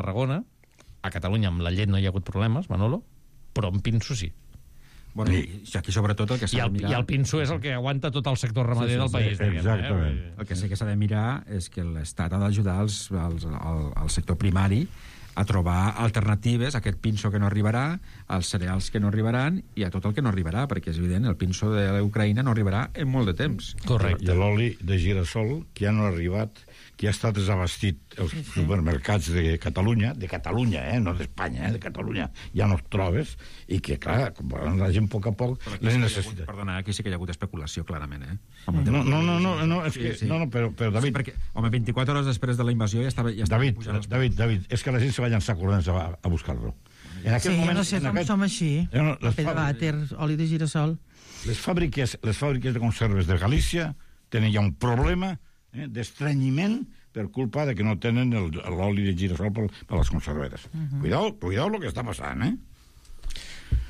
Tarragona. A Catalunya amb la llet no hi ha hagut problemes, Manolo, però amb pinso sí. Bueno, i aquí sobretot el que s'ha de mirar... I el pinso és el que aguanta tot el sector ramader del país. Exactament. El que sí que s'ha de mirar és que l'Estat ha d'ajudar al sector primari a trobar alternatives a aquest pinso que no arribarà, als cereals que no arribaran i a tot el que no arribarà, perquè és evident, el pinso de l'Ucraïna no arribarà en molt de temps. Correcte. I l'oli de girassol, que ja no ha arribat, que ja està desabastit els supermercats de Catalunya, no d'Espanya, de Catalunya, ja no els trobes, i que, clar, la gent a poc a poc les necessita. Perdona, aquí sí que hi ha hagut especulació, clarament, Però David... Sí, perquè, home, 24 hores després de la invasió ja estava David, és que la gent se va llançar corrents a buscar-lo. No sé com som així. Paper de vàter, oli de girassol. Les fàbriques de conserves de Galícia tenen ja un problema d'estrenyiment per culpa de que no tenen l'oli de girassol per les conserveres. Cuidao lo que està passant,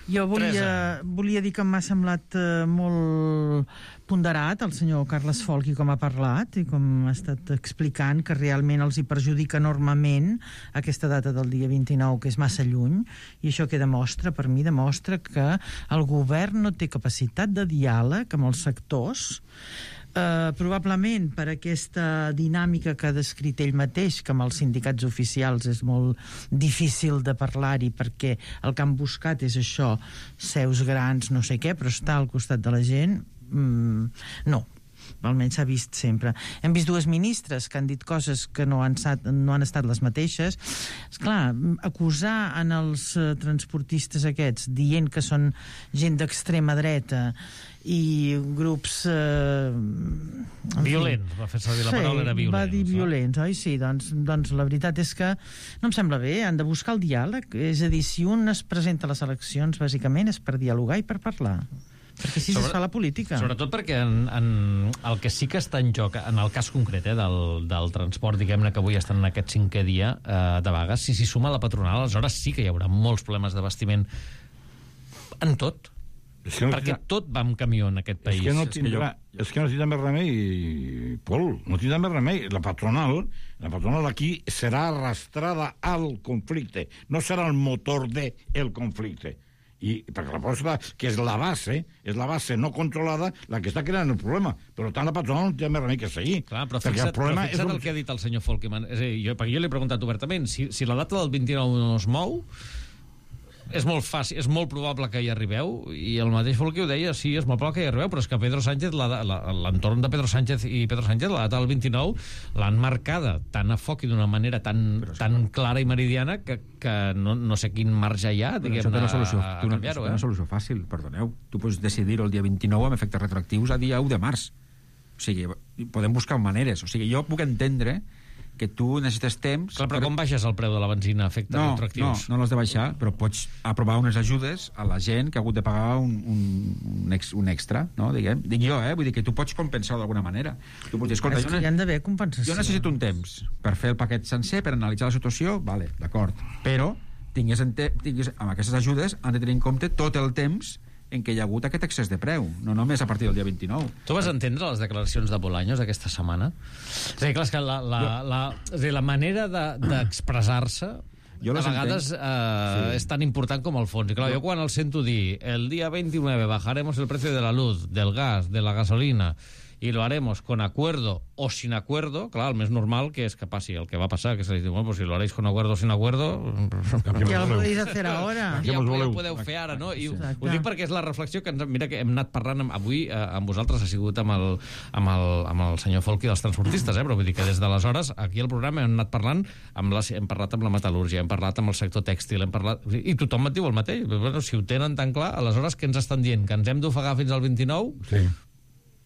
Jo volia dir que m'ha semblat molt ponderat el senyor Carles Folchi com ha parlat i com ha estat explicant que realment els hi perjudica enormement aquesta data del dia 29, que és massa lluny, i això que demostra, per mi demostra que el govern no té capacitat de diàleg amb els sectors, probablement per aquesta dinàmica que ha descrit ell mateix, que amb els sindicats oficials és molt difícil de parlar-hi perquè el que han buscat és això, seus grans, no sé què, però estar al costat de la gent no, almenys s'ha vist sempre. Hem vist dues ministres que han dit coses que no han estat les mateixes. Esclar, acusar en els transportistes aquests dient que són gent d'extrema dreta i grups violents, va fer servir la paraula, era violents. Va dir violents, oi? Sí, doncs la veritat és que no em sembla bé, han de buscar el diàleg, és a dir, si un es presenta a les eleccions bàsicament és per dialogar i per parlar, perquè així es fa la política. Sobretot perquè el que sí que està en joc, en el cas concret del transport, diguem-ne que avui estan en aquest 5è dia de vagues, si s'hi suma la patronal, aleshores sí que hi haurà molts problemes d'abastiment en tot. Perquè tot va amb camió en aquest país. És que no tindrà més remei, Pol, no tindrà més remei. La patronal aquí serà arrastrada al conflicte, no serà el motor del conflicte. I perquè la posta, que és la base no controlada, la que està creant el problema. Per tant, la patronal no té més remei que seguir. Clar, però fixa't el que ha dit el senyor Folkman. És a dir, perquè jo l'he preguntat obertament, si la data del 29 no es mou, és molt fàcil, és molt probable que hi arribeu, i el mateix Folchi ho deia, sí, és molt probable que hi arribeu, però és que Pedro Sánchez, l'entorn de Pedro Sánchez i Pedro Sánchez, la data del 29 l'han marcada tan a foc i d'una manera tan clara i meridiana que no sé quin marge hi ha, diguem-ne, a canviar-ho. Té una solució fàcil, perdoneu. Tu pots decidir el dia 29 amb efectes retroactius a dia 1 de març. O sigui, podem buscar maneres. O sigui, jo puc entendre que tu necessites temps... Clar, però com baixes el preu de la benzina a efectes retroactius? No l'has de baixar, però pots aprovar unes ajudes a la gent que ha hagut de pagar un extra, no? Dic jo, vull dir que tu pots compensar d'alguna manera. Tu pots dir, escolta, hi han d'haver compensació. Jo necessito un temps per fer el paquet sencer, per analitzar la situació, vale, d'acord, però amb aquestes ajudes han de tenir en compte tot el temps en què hi ha hagut aquest excés de preu, no només a partir del dia 29. Tu vas entendre les declaracions de Bolaños aquesta setmana? És a dir, clar, és que la manera d'expressar-se a vegades és tan important com el fons. I clar, jo quan el sento dir el dia 29 bajaremos el precio de la luz, del gas, de la gasolina y lo haremos con acuerdo o sin acuerdo, clar, el més normal que és que passi el que va passar, que se li diu, bueno, pues si lo haréis con acuerdo o sin acuerdo... Ja lo podéis hacer ahora. Ja ho podeu fer ara, no? I ho dic perquè és la reflexió que mira que hem anat parlant avui amb vosaltres, ha sigut amb el senyor Folchi dels transportistes, però vull dir que des d'aleshores aquí al programa hem anat parlant, hem parlat amb la metal·lúrgia, hem parlat amb el sector tèxtil, i tothom et diu el mateix. Bueno, si ho tenen tan clar, aleshores què ens estan dient? Que ens hem d'ofegar fins al 29? Sí.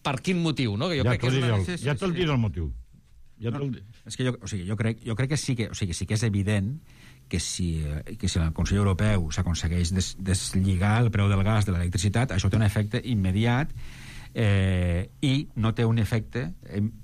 Per quin motiu, no? Que jo crec que ja te'l diré el motiu. És que jo crec que sí que és evident que si el Consell Europeu s'aconsegueix deslligar el preu del gas de l'electricitat, això té un efecte immediat i no té un efecte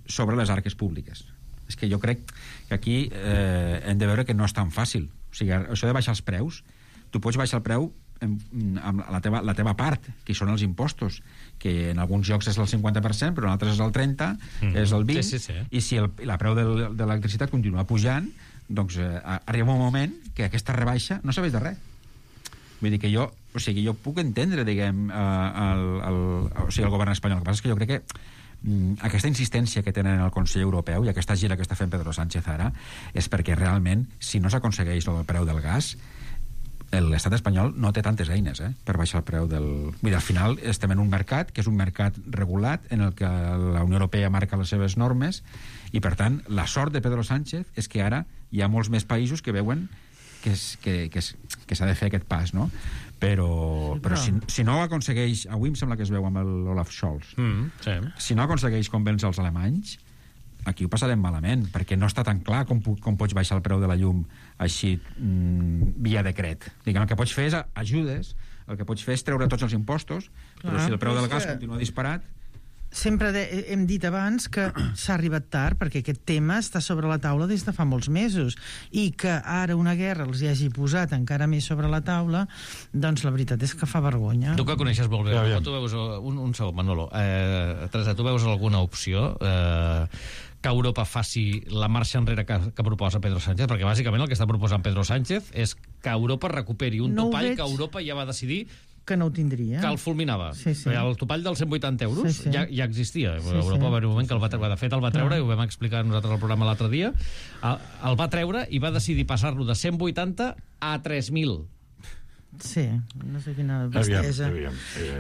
sobre les arques públiques. És que jo crec que aquí hem de veure que no és tan fàcil. O sigui, això de baixar els preus, tu pots baixar el preu amb la teva part, que són els impostos, que en alguns llocs és el 50%, però en altres és el 30%, és el 20%, i si la preu de l'electricitat continua pujant, doncs arriba un moment que aquesta rebaixa no serveix de res. Vull dir que jo puc entendre, diguem, el govern espanyol. El que passa és que jo crec que aquesta insistència que tenen el Consell Europeu i aquesta gira que està fent Pedro Sánchez ara és perquè realment, si no s'aconsegueix el preu del gas, l'estat espanyol no té tantes eines per baixar el preu del... Vull dir, al final estem en un mercat que és un mercat regulat en el que la Unió Europea marca les seves normes i, per tant, la sort de Pedro Sánchez és que ara hi ha molts més països que veuen que s'ha de fer aquest pas, no? Però si no ho aconsegueix... Avui em sembla que es veu amb l'Olaf Scholz. Sí. Si no aconsegueix convèncer els alemanys, aquí ho passarem malament, perquè no està tan clar com pots baixar el preu de la llum així via decret. Diguem, el que pots fer és ajudes, el que pots fer és treure tots els impostos, però si el preu del gas continua disparat... Sempre hem dit abans que s'ha arribat tard perquè aquest tema està sobre la taula des de fa molts mesos i que ara una guerra els hi hagi posat encara més sobre la taula, doncs la veritat és que fa vergonya. Tu que coneixes molt bé, tu veus un segon, Manolo. Teresa, tu veus alguna opció que Europa faci la marxa enrere que proposa Pedro Sánchez? Perquè bàsicament el que està proposant Pedro Sánchez és que Europa recuperi un topall que Europa ja va decidir que no ho tindria. Que el fulminava. Sí. El topall dels 180 euros ja existia. Europa va haver un moment que el va treure. De fet, el va treure, i ho vam explicar nosaltres al programa l'altre dia, el va treure i va decidir passar-lo de 180 a 3.000. Sí, no sé quina bestiesa.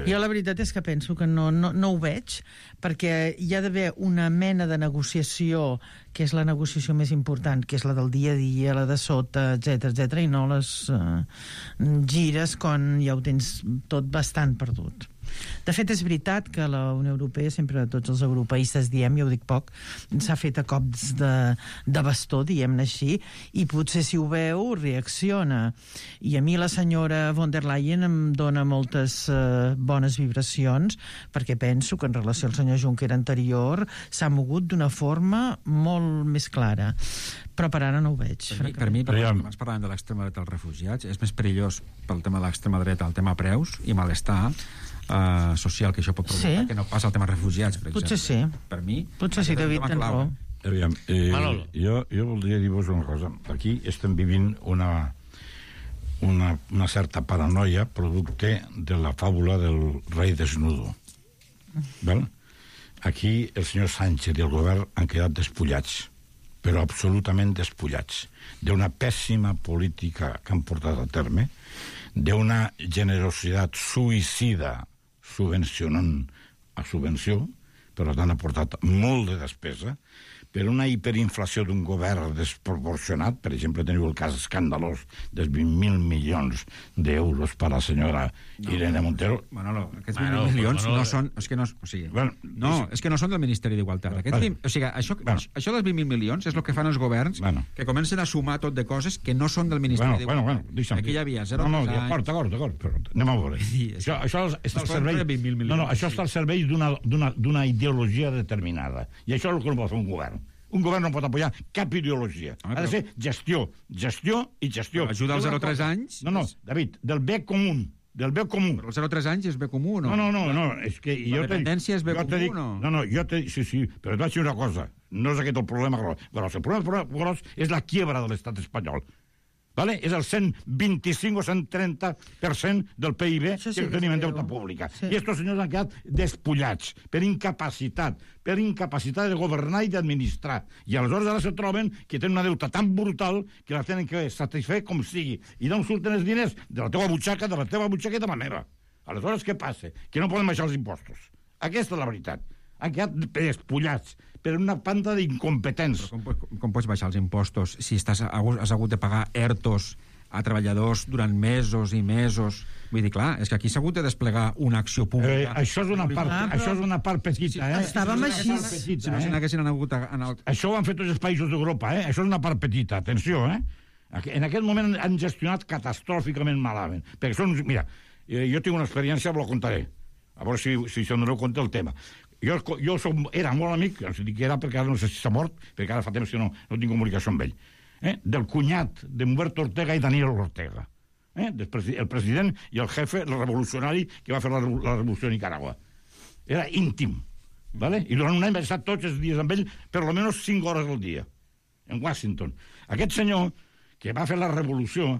Jo la veritat és que penso que no ho veig, perquè hi ha d'haver una mena de negociació, que és la negociació més important, que és la del dia a dia, la de sota, etc, i no les gires quan ja ho tens tot bastant perdut. De fet, és veritat que la Unió Europea, sempre tots els europeistes diem, jo ho dic poc, s'ha fet a cops de bastó, diguem-ne així, i potser si ho veu, reacciona. I a mi la senyora von der Leyen em dona moltes bones vibracions, perquè penso que en relació al senyor Juncker anterior s'ha mogut d'una forma molt més clara. Però per ara no ho veig. Per mi, abans parlàvem de l'extrema dreta dels refugiats, és més perillós pel tema de l'extrema dreta el tema preus i malestar social que això pot provocar, que no passa el tema refugiats, per exemple. Potser sí. Per mi... Potser sí, David, tens raó. Aviam, jo voldria dir-vos una cosa. Aquí estem vivint una certa paranoia producte de la fàbula del rei desnudo. Val? Aquí el senyor Sánchez i el govern han quedat despullats, però absolutament despullats, d'una pèssima política que han portat a terme, d'una generositat suïcida subvencionant a subvenció, per tant ha portat molt de despesa, per una hiperinflació d'un govern desproporcionat. Per exemple, teniu el cas escandalós dels 20.000 milions d'euros per a la senyora Irene Montero. Manolo, aquests 20.000 milions no són... És que no, o sigui, és que no són del Ministeri d'Igualtat. O sigui, això dels 20.000 milions és el que fan els governs, que comencen a sumar tot de coses que no són del Ministeri d'Igualtat. Aquí hi havia 0 anys... D'acord, però anem a veure. Això està al servei... Això està al servei d'una ideologia determinada. I això és el que no pot fer un govern. Un govern no pot apoyar cap ideologia. Ha de ser gestió i gestió. Ajuda als 0-3 anys? No, David, del bé comú. Del bé comú. Però els 0-3 anys és bé comú, no? No, és que... La dependència és bé comú, no? Sí, però et vaig dir una cosa. No és aquest el problema gros. El problema gros és la quiebra de l'estat espanyol. Vale? És el 125 o 130% del PIB que tenim en deute pública. I estos senyors han quedat despullats per incapacitat de governar i d'administrar. I aleshores ara se troben que tenen una deuta tan brutal que la tenen que satisfer com sigui. I d'on surten els diners? De la teva butxaca i de la meva. Aleshores què passa? Que no poden baixar els impostos. Aquesta és la veritat. Han quedat despullats per una panda d'incompetents. Com pots baixar els impostos si has hagut de pagar ERTOs a treballadors durant mesos i mesos? Vull dir, clar, és que aquí s'ha hagut de desplegar una acció pública. Això és una part petita, Estàvem així. Si no, si n'haguessin hagut... Això ho han fet tots els països d'Europa, Això és una part petita, atenció, En aquest moment han gestionat catastròficament malament. Perquè són... Mira, jo tinc una experiència, la contaré. A veure si se'n doneu compte el tema. Jo era molt amic, no sé que era perquè ara no sé si s'ha mort, perquè ara fa temps que no tinc comunicació amb ell, del cunyat d'Humberto Ortega i Daniel Ortega, el president i el jefe, el revolucionari que va fer la revolució a Nicaragua. Era íntim, ¿vale? I durant un any vaig estar tots els dies amb ell, per almenys 5 hores al dia, en Washington. Aquest senyor, que va fer la revolució,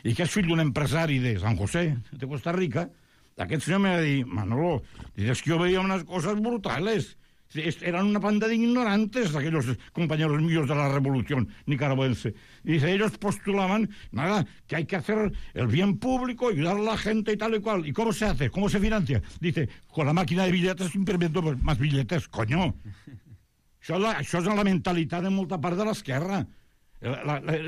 i que és fill d'un empresari de San José, de Costa Rica, aquest senyor me va dir, Manolo, es que yo veía unas cosas brutales. Eran una banda de ignorantes aquellos compañeros míos de la revolución nicaragüense. Y dice, ellos postulaban, nada, que hay que hacer el bien público, ayudar a la gente y tal y cual. ¿Y cómo se hace? ¿Cómo se financia? Dice, con la máquina de billetes imprimiendo más billetes. Coño! Això és la mentalitat de molta part de l'esquerra.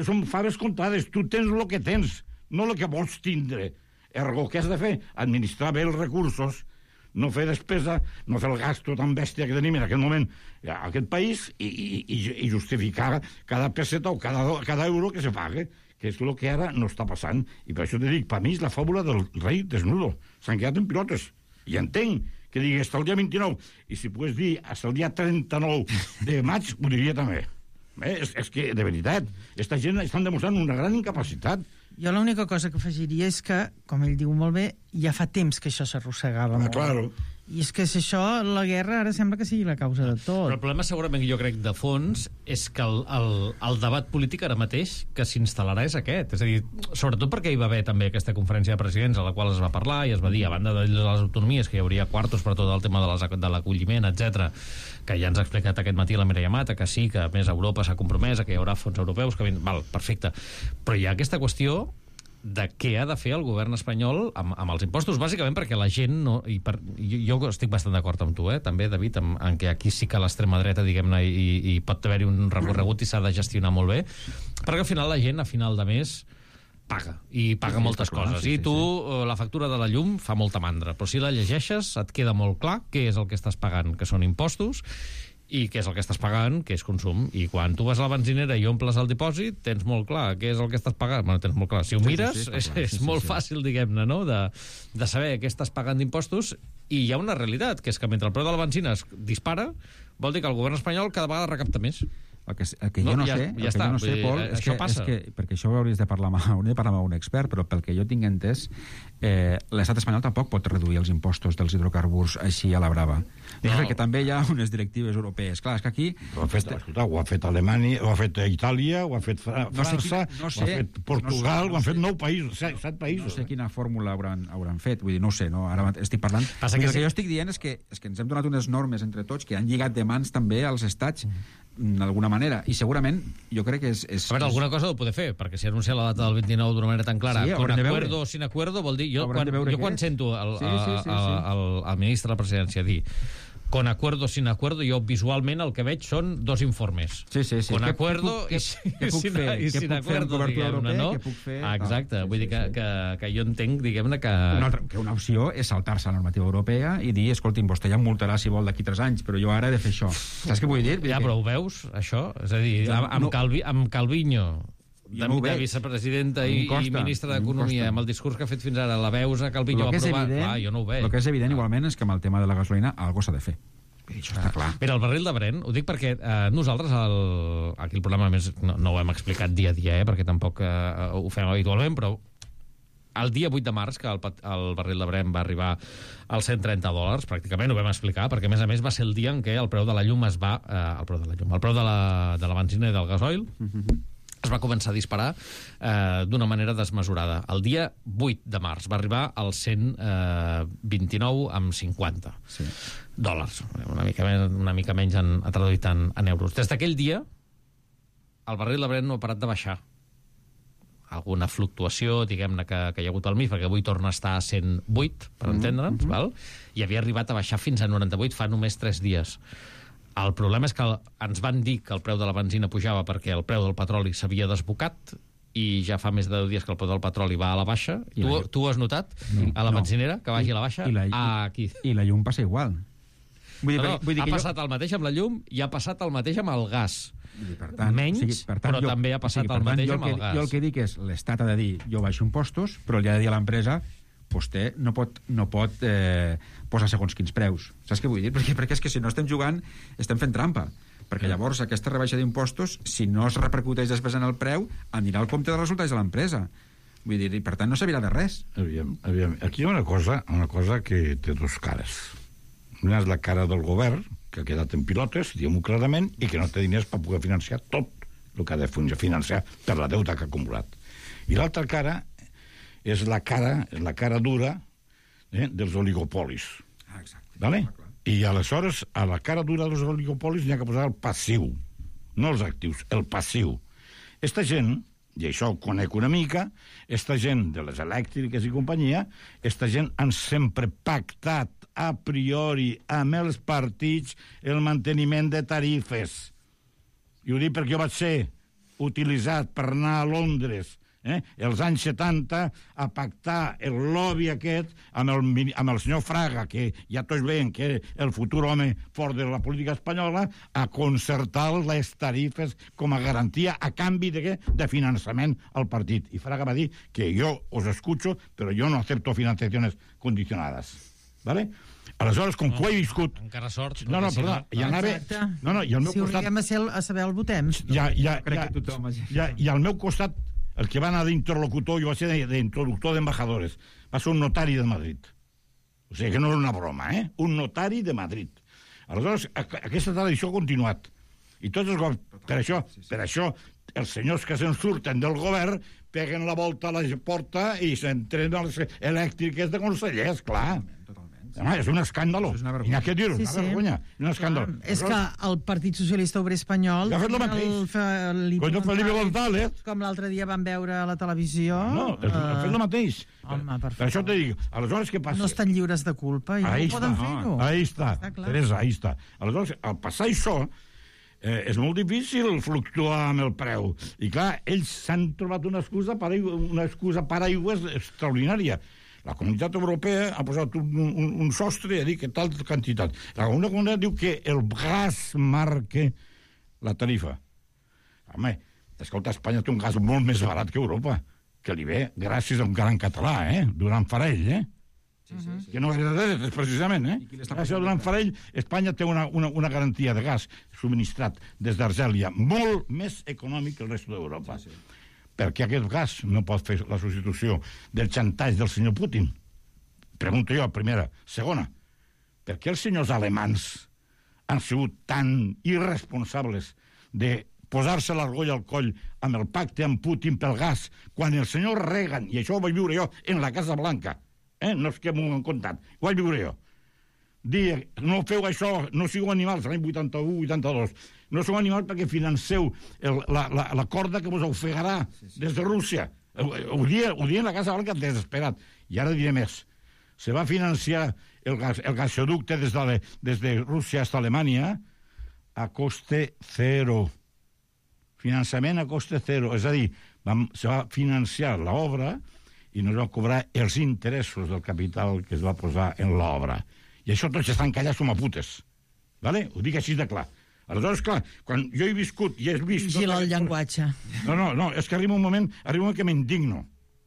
Són faves comptades. Tu tens el que tens, no el que vols tindre. Ergo, què has de fer? Administrar bé els recursos, no fer despesa, no fer el gasto tan bèstia que tenim en aquest moment a aquest país i justificar cada peseta o cada euro que se pague, que és el que ara no està passant. I per això te dic, per mi és la fàbula del rei desnudo. S'han quedat en pilotes. I entenc que digui hasta el dia 29, i si pogués dir hasta el dia 39 de maig, ho diria també. És que, de veritat, aquesta gent estan demostrant una gran incapacitat. Jo l'única cosa que afegiria és que, com ell diu molt bé, ja fa temps que això s'arrossegava molt. Claro. I és que si això, la guerra, ara sembla que sigui la causa de tot. Però el problema segurament, jo crec, de fons, és que el debat polític ara mateix que s'instal·larà és aquest. És a dir, sobretot perquè hi va haver també aquesta conferència de presidents a la qual es va parlar i es va dir, a banda de les autonomies, que hi hauria quartos per tot el tema de l'acolliment, etc, que ja ens ha explicat aquest matí la Mireia Mata, que sí, que a més Europa s'ha compromès, que hi haurà fons europeus, que val, perfecte. Però hi ha aquesta qüestió de què ha de fer el govern espanyol amb els impostos, bàsicament perquè la gent no... Jo estic bastant d'acord amb tu, també, David, en que aquí sí que l'extrema dreta, diguem-ne, i pot haver-hi un recorregut i s'ha de gestionar molt bé, perquè al final la gent, a final de mes, paga, i paga moltes coses. I tu, la factura de la llum fa molta mandra, però si la llegeixes et queda molt clar què és el que estàs pagant, que són impostos, i què és el que estàs pagant, que és consum. I quan tu vas a la benzinera i omples el dipòsit, tens molt clar què és el que estàs pagant. Bueno, tens molt clar. Si ho mires, és molt fàcil, diguem-ne, no?, de saber què estàs pagant d'impostos. I hi ha una realitat, que és que mentre el preu de la benzina es dispara, vol dir que el govern espanyol cada vegada recapta més. El que jo no sé, Pol, és que perquè això ho hauries de parlar amb un expert, però pel que jo tinc entès, l'estat espanyol tampoc pot reduir els impostos dels hidrocarburs així a la brava. Perquè també hi ha unes directives europees. Clar, és que aquí... Ho ha fet Alemanya, ho ha fet Itàlia, ho ha fet França, ho ha fet Portugal, ho han fet 9 països, 7 països. No sé quina fórmula hauran fet, vull dir, no ho sé, no? Ara estic parlant... El que jo estic dient és que ens hem donat unes normes entre tots que han lligat de mans també als estats d'alguna manera, i segurament jo crec que és... A veure, alguna cosa ho poder fer, perquè si anuncia la data del 29 d'una manera tan clara, con acuerdo o sin acuerdo, vol dir... Jo quan sento el ministre de la presidència dir con acuerdo o sin acuerdo, jo visualment el que veig són 2 informes. Sí. Con acuerdo i sin acuerdo, diguem-ne, no? Exacte, vull dir que jo entenc, diguem-ne, que... Una opció és saltar-se a la normativa europea i dir, escolti'm, vostè ja em multarà si vol d'aquí 3 anys, però jo ara he de fer això. Saps què vull dir? Ja, però ho veus, això? És a dir, amb Calviño, de vicepresidenta i ministre d'Economia, amb el discurs que ha fet fins ara, la veus a Calviño aprovar... jo no ho veig. El que és evident, igualment, és que amb el tema de la gasolina algo s'ha de fer. Això està clar. Mira, el barril de Brent, ho dic perquè nosaltres, aquí el programa, més, no ho hem explicat dia a dia, perquè tampoc ho fem habitualment, però el dia 8 de març, que el barril de Brent va arribar als $130, pràcticament ho vam explicar, perquè a més va ser el dia en què el preu de la llum el preu de la benzina i del gasoil es va començar a disparar d'una manera desmesurada. El dia 8 de març va arribar als 129,50 dòlars. Una mica menys ha traduït en euros. Des d'aquell dia, el barril de Brent no ha parat de baixar. Alguna fluctuació, diguem-ne, que hi ha hagut al mig, perquè avui torna a estar a 108, per entendre'ns, val? I havia arribat a baixar fins a 98 fa només 3 dies. El problema és que ens van dir que el preu de la benzina pujava perquè el preu del petroli s'havia desbocat i ja fa més de 10 dies que el preu del petroli va a la baixa. Tu ho has notat? A la benzinera, que vagi a la baixa? Aquí. I la llum passa igual. Ha passat el mateix amb la llum i ha passat el mateix amb el gas. Menys, però també ha passat el mateix amb el gas. Jo el que dic és, l'Estat ha de dir, jo baixo impostos, però li ha de dir a l'empresa, vostè no pot posar segons quins preus. Saps què vull dir? Perquè és que si no estem jugant, estem fent trampa. Perquè llavors aquesta rebaixa d'impostos, si no es repercuteix després en el preu, anirà al compte dels resultats de l'empresa. Vull dir, i per tant no servirà de res. Aviam. Aquí hi ha una cosa que té 2 cares. Una és la cara del govern, que ha quedat en pilotes, diguem-ho clarament, i que no té diners per poder financiar tot el que ha de finançar per la deuta que ha acumulat. I l'altra cara és la cara dura dels oligopolis. Exacte. ¿Vale? I aleshores, a la cara dura dels oligopolis n'hi ha que posar el passiu, no els actius, el passiu. Esta gent, i això ho conec una mica, esta gent de les elèctriques i companyia, esta gent han sempre pactat a priori amb els partits el manteniment de tarifes. I ho dic perquè jo vaig ser utilitzat per anar a Londres els anys 70 a pactar el lobby aquest amb el senyor Fraga, que ja tots veien que era el futur home fort de la política espanyola, a concertar les tarifes com a garantia a canvi de finançament al partit. I Fraga va dir que jo os escucho, però jo no acepto financiaciones condicionadas. ¿Vale? Aleshores, com que ho he viscut... Encara sort. No, perdó, i anava... No, i al meu si costat... Si ho a saber el votem. I al meu costat, el que va anar d'interlocutor, jo va ser d'introductor d'embajadores, va ser un notari de Madrid. O sigui que no és una broma, Un notari de Madrid. Aleshores, aquesta tradició ha continuat. I tots els governs... Per això, els senyors que se'n surten del govern peguen la volta a la porta i s'entren a les elèctriques de consellers, clar. Home, és un escàndalo. I n'hi ha que dir-ho, una vergonya. Un escàndalo. És que el Partit Socialista Obrer Espanyol... Ha fet el mateix. Felipe González. Com l'altre dia vam veure a la televisió... No, ha fet el mateix. Home, per això te dic, aleshores què passa? No estan lliures de culpa i no poden fer-ho. Ahí està, Teresa, ahí està. Aleshores, al passar això, és molt difícil fluctuar amb el preu. I clar, ells s'han trobat una excusa paraigües extraordinària. La Comunitat Europea ha posat un sostre i ha dit que tal quantitat. La Comunitat diu que el gas marca la tarifa. Home, escolta, Espanya té un gas molt més barat que Europa, que li ve gràcies a un gran català, Duran Farell, que no era de res, precisament, Gràcies a Duran Farell, Espanya té una garantia de gas subministrat des d'Argèlia molt més econòmic que el resto d'Europa. Perquè aquest gas no pot fer la substitució del xantatge del senyor Putin? Pregunto jo, primera. Segona, per què els senyors alemans han sigut tan irresponsables de posar-se l'argolla al coll amb el pacte amb Putin pel gas, quan el senyor Reagan, i això ho vaig viure jo en la Casa Blanca, no és que m'ho han contat, ho vaig viure jo, dir, no feu això, no sigueu animals, l'any 81-82, no sou animals perquè financeu la corda que vos ofegarà des de Rússia. Ho dia la Casa Blanca desesperat. I ara diré més. Se va financiar el gasoducte des de Rússia fins a Alemanya a coste zero. Finançament a coste zero. És a dir, se va financiar l'obra i no es van cobrar els interessos del capital que es va posar en l'obra. I això tots estan callats com a putes. Vale? Ho dic així de clar. Aleshores, clar, quan jo he viscut i he vist... Vigila el llenguatge. No, és que arriba un moment que m'indigno.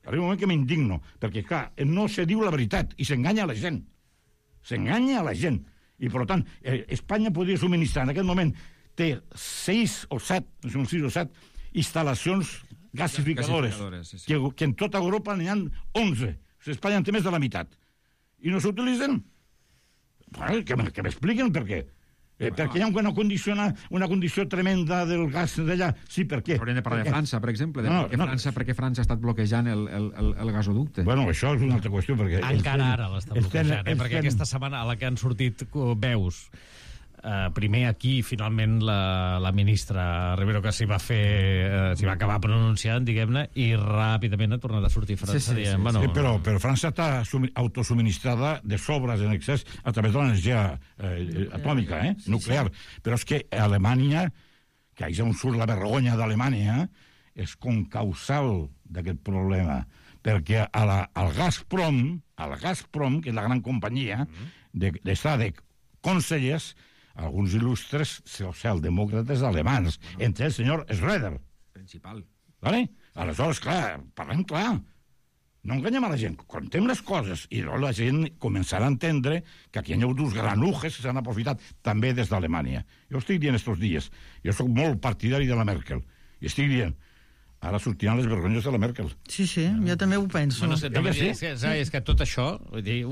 Perquè, clar, no se diu la veritat i s'enganya a la gent. I, per tant, Espanya podria subministrar en aquest moment té 6 o 7 instal·lacions gasificadores, que en tota Europa n'hi ha 11. Espanya en té més de la meitat. I no s'utilitzen? Que m'expliquen per què. Perquè hi ha una condició tremenda del gas d'allà. Sí, per què? Hauríem de parlar de França, per exemple, perquè França ha estat bloquejant el gasoducte. Bueno, això és una altra qüestió. Encara ara l'està bloquejant, perquè aquesta setmana a la que han sortit veus, primer aquí, finalment, la ministra Rivero, que s'hi va acabar pronunciant, diguem-ne, i ràpidament ha tornat a sortir França. Sí, però França està autosubministrada de sobres en excés a través de l'energia atòmica, nuclear. Però és que Alemanya, que és on surt la vergonya d'Alemanya, és concausal d'aquest problema. Perquè al Gazprom, que és la gran companyia, està de consellers alguns il·lustres socialdemòcrates alemans, entre el senyor Schröder. Principal. Vale? Aleshores, clar, parlem clar. No enganyem a la gent, contem les coses i la gent començarà a entendre que aquí hi ha dos granujes que s'han aprofitat també des d'Alemanya. Jo estic dient estos dies, jo sóc molt partidari de la Merkel, i estic dient, ara sortiran les vergonyes de la Merkel. Sí, jo també ho penso. Bueno, és que tot això... Vull dir,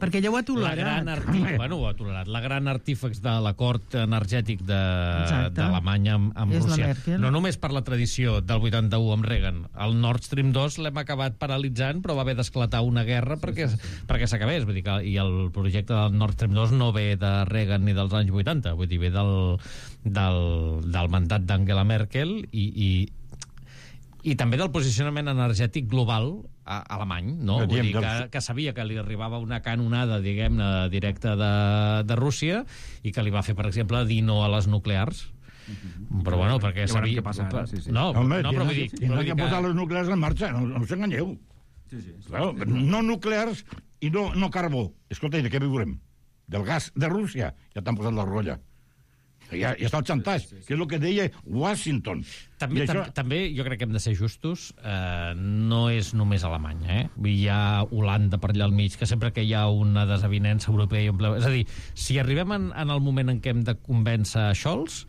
perquè ja ho ha tolerat. Ho ha tolerat. La gran artífex de l'acord energètic d'Alemanya amb Rússia. No només per la tradició del 81 amb Reagan. El Nord Stream 2 l'hem acabat paralitzant, però va haver d'esclatar una guerra perquè s'acabés. Vull dir que, i el projecte del Nord Stream 2 no ve de Reagan ni dels anys 80. Vull dir, ve del mandat d'Angela Merkel i també del posicionament energètic global alemany, no? Vull dir que sabia que li arribava una canonada, diguem-ne, directa de Rússia i que li va fer, per exemple, dir no a les nuclears. Però bueno, perquè sabia... No, però vull dir... Tindran que posar les nuclears en marxa, no us enganyeu. No nuclears i no carbó. Escolta, i de què viurem? Del gas de Rússia. Ja t'han posat la rolla. Ja està el xantatge, que és el que deia Washington. També jo crec que hem de ser justos. No és només Alemanya, Hi ha Holanda per allà al mig, que sempre que hi ha una desavinença europea... És a dir, si arribem en el moment en què hem de convèncer Scholz,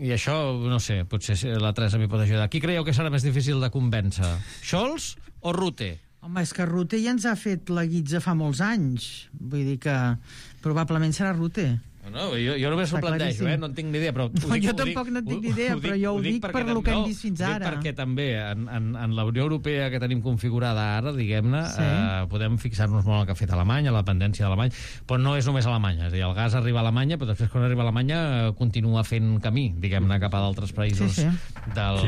i això, no sé, potser la Teresa m'hi pot ajudar. Qui creieu que serà més difícil de convèncer? Scholz o Rutte? Home, és que Rutte ja ens ha fet la guitza fa molts anys. Vull dir que probablement serà Rutte. No, jo només ho plantejo, no en tinc ni idea. Però jo tampoc no tinc ni idea, però jo ho dic per lo que hem vist fins ara. Perquè també en la Unió Europea que tenim configurada ara, diguem-ne, podem fixar-nos molt en el que ha fet Alemanya, la dependència d'Alemanya, però no és només Alemanya. És a dir, el gas arriba a Alemanya, però després quan arriba a Alemanya continua fent camí, diguem-ne, cap a d'altres països del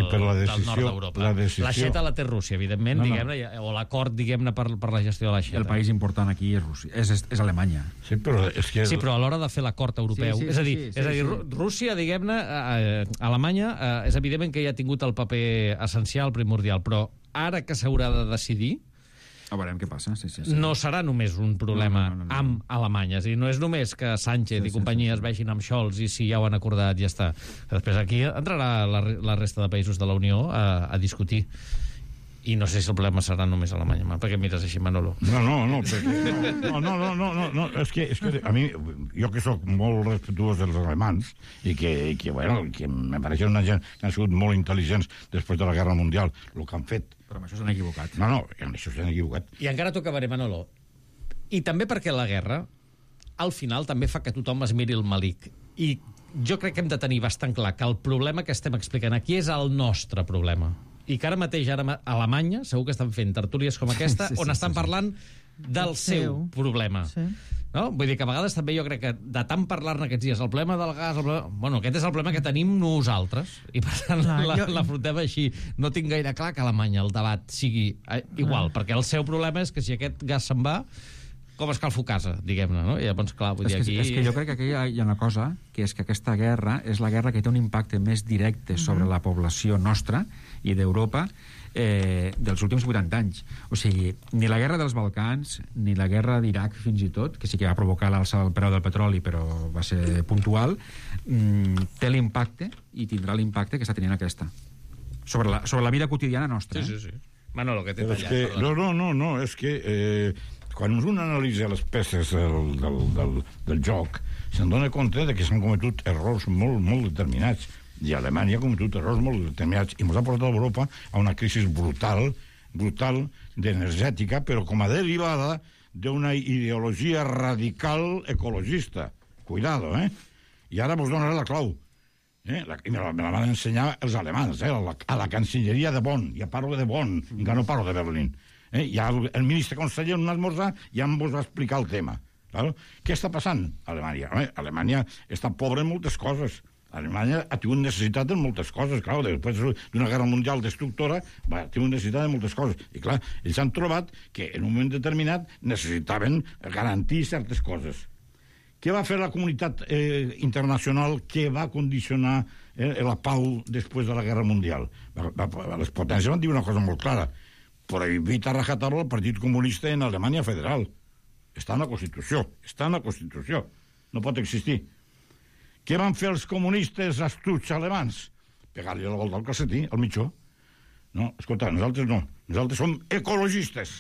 nord d'Europa. L'aixeta la té Rússia, evidentment, diguem-ne, o l'acord, diguem-ne, per la gestió de l'aixeta. El país important aquí és Rússia, és Alemanya. Sí, però a l'hora de fer l'acord europeu. És a dir, Rússia, diguem-ne, Alemanya, és evident que ja ha tingut el paper essencial, primordial, però ara que s'haurà de decidir, veurem què passa. No serà només un problema amb Alemanya. És a dir, no és només que Sánchez i companyia es vegin amb Scholz i si ja ho han acordat, ja està. Després aquí entrarà la resta de països de la Unió a discutir. I no sé si el problema serà només Alemanya. Per què mires així, Manolo? No, és que a mi, jo que sóc molt respectuós dels alemans i que me pareixen una gent que han sigut molt intel·ligents després de la Guerra Mundial, el que han fet. Però amb això s'han equivocat. No, amb això s'han equivocat. I encara t'ho acabaré, Manolo. I també perquè la guerra, al final, també fa que tothom es miri el malic. I jo crec que hem de tenir bastant clar que el problema que estem explicant aquí és el nostre problema. I que ara mateix, a Alemanya, segur que estan fent tertúlies com aquesta, on estan parlant del seu problema. No? Vull dir que a vegades també jo crec que de tant parlar-ne aquests dies, el problema del gas... Bueno, aquest és el problema que tenim nosaltres. I per tant l'afrontem així. No tinc gaire clar que a Alemanya el debat sigui igual, perquè el seu problema és que si aquest gas se'n va, com escalfo casa, diguem-ne, no? I llavors, clar, vull dir, aquí... És que jo crec que aquí hi ha una cosa, que és que aquesta guerra és la guerra que té un impacte més directe sobre la població nostra i d'Europa dels últims 80 anys. O sigui, ni la guerra dels Balcans, ni la guerra d'Iraq, fins i tot, que sí que va provocar l'alça del preu del petroli, però va ser puntual, té l'impacte, i tindrà l'impacte que està tenint aquesta. Sobre la vida quotidiana nostra. Sí. Manolo, que t'he tallat. No, és que... quan un analitza les peces del joc, se'n dona compte de que s'han cometut errors molt determinats. I Alemanya ha cometut errors molt determinats i ens ha portat a Europa a una crisi brutal d'energètica, però com a derivada d'una ideologia radical ecologista. Cuidado, I ara vos donaré la clau. Me la van ensenyar els alemans, a la Cancelleria de Bonn. Ja parlo de Bonn, encara no parlo de Berlín. Ja el ministre conseller en un esmorzar ja em va explicar el tema. Claro? Què està passant a Alemanya? Alemanya està pobra en moltes coses. Alemanya ha tingut necessitat en moltes coses. Clar, després d'una guerra mundial destructora ha tingut necessitat en moltes coses. I clar, ells han trobat que en un moment determinat necessitaven garantir certes coses. Què va fer la comunitat internacional que va condicionar la pau després de la guerra mundial? Les potències van dir una cosa molt clara: prohibit a rajatabla el Partit Comunista en Alemanya Federal. Està en la Constitució. No pot existir. Què van fer els comunistes astuts alemans? Pegar-li la volta al calcetí, al mitjó. No, escolta, nosaltres no. Nosaltres som ecologistes.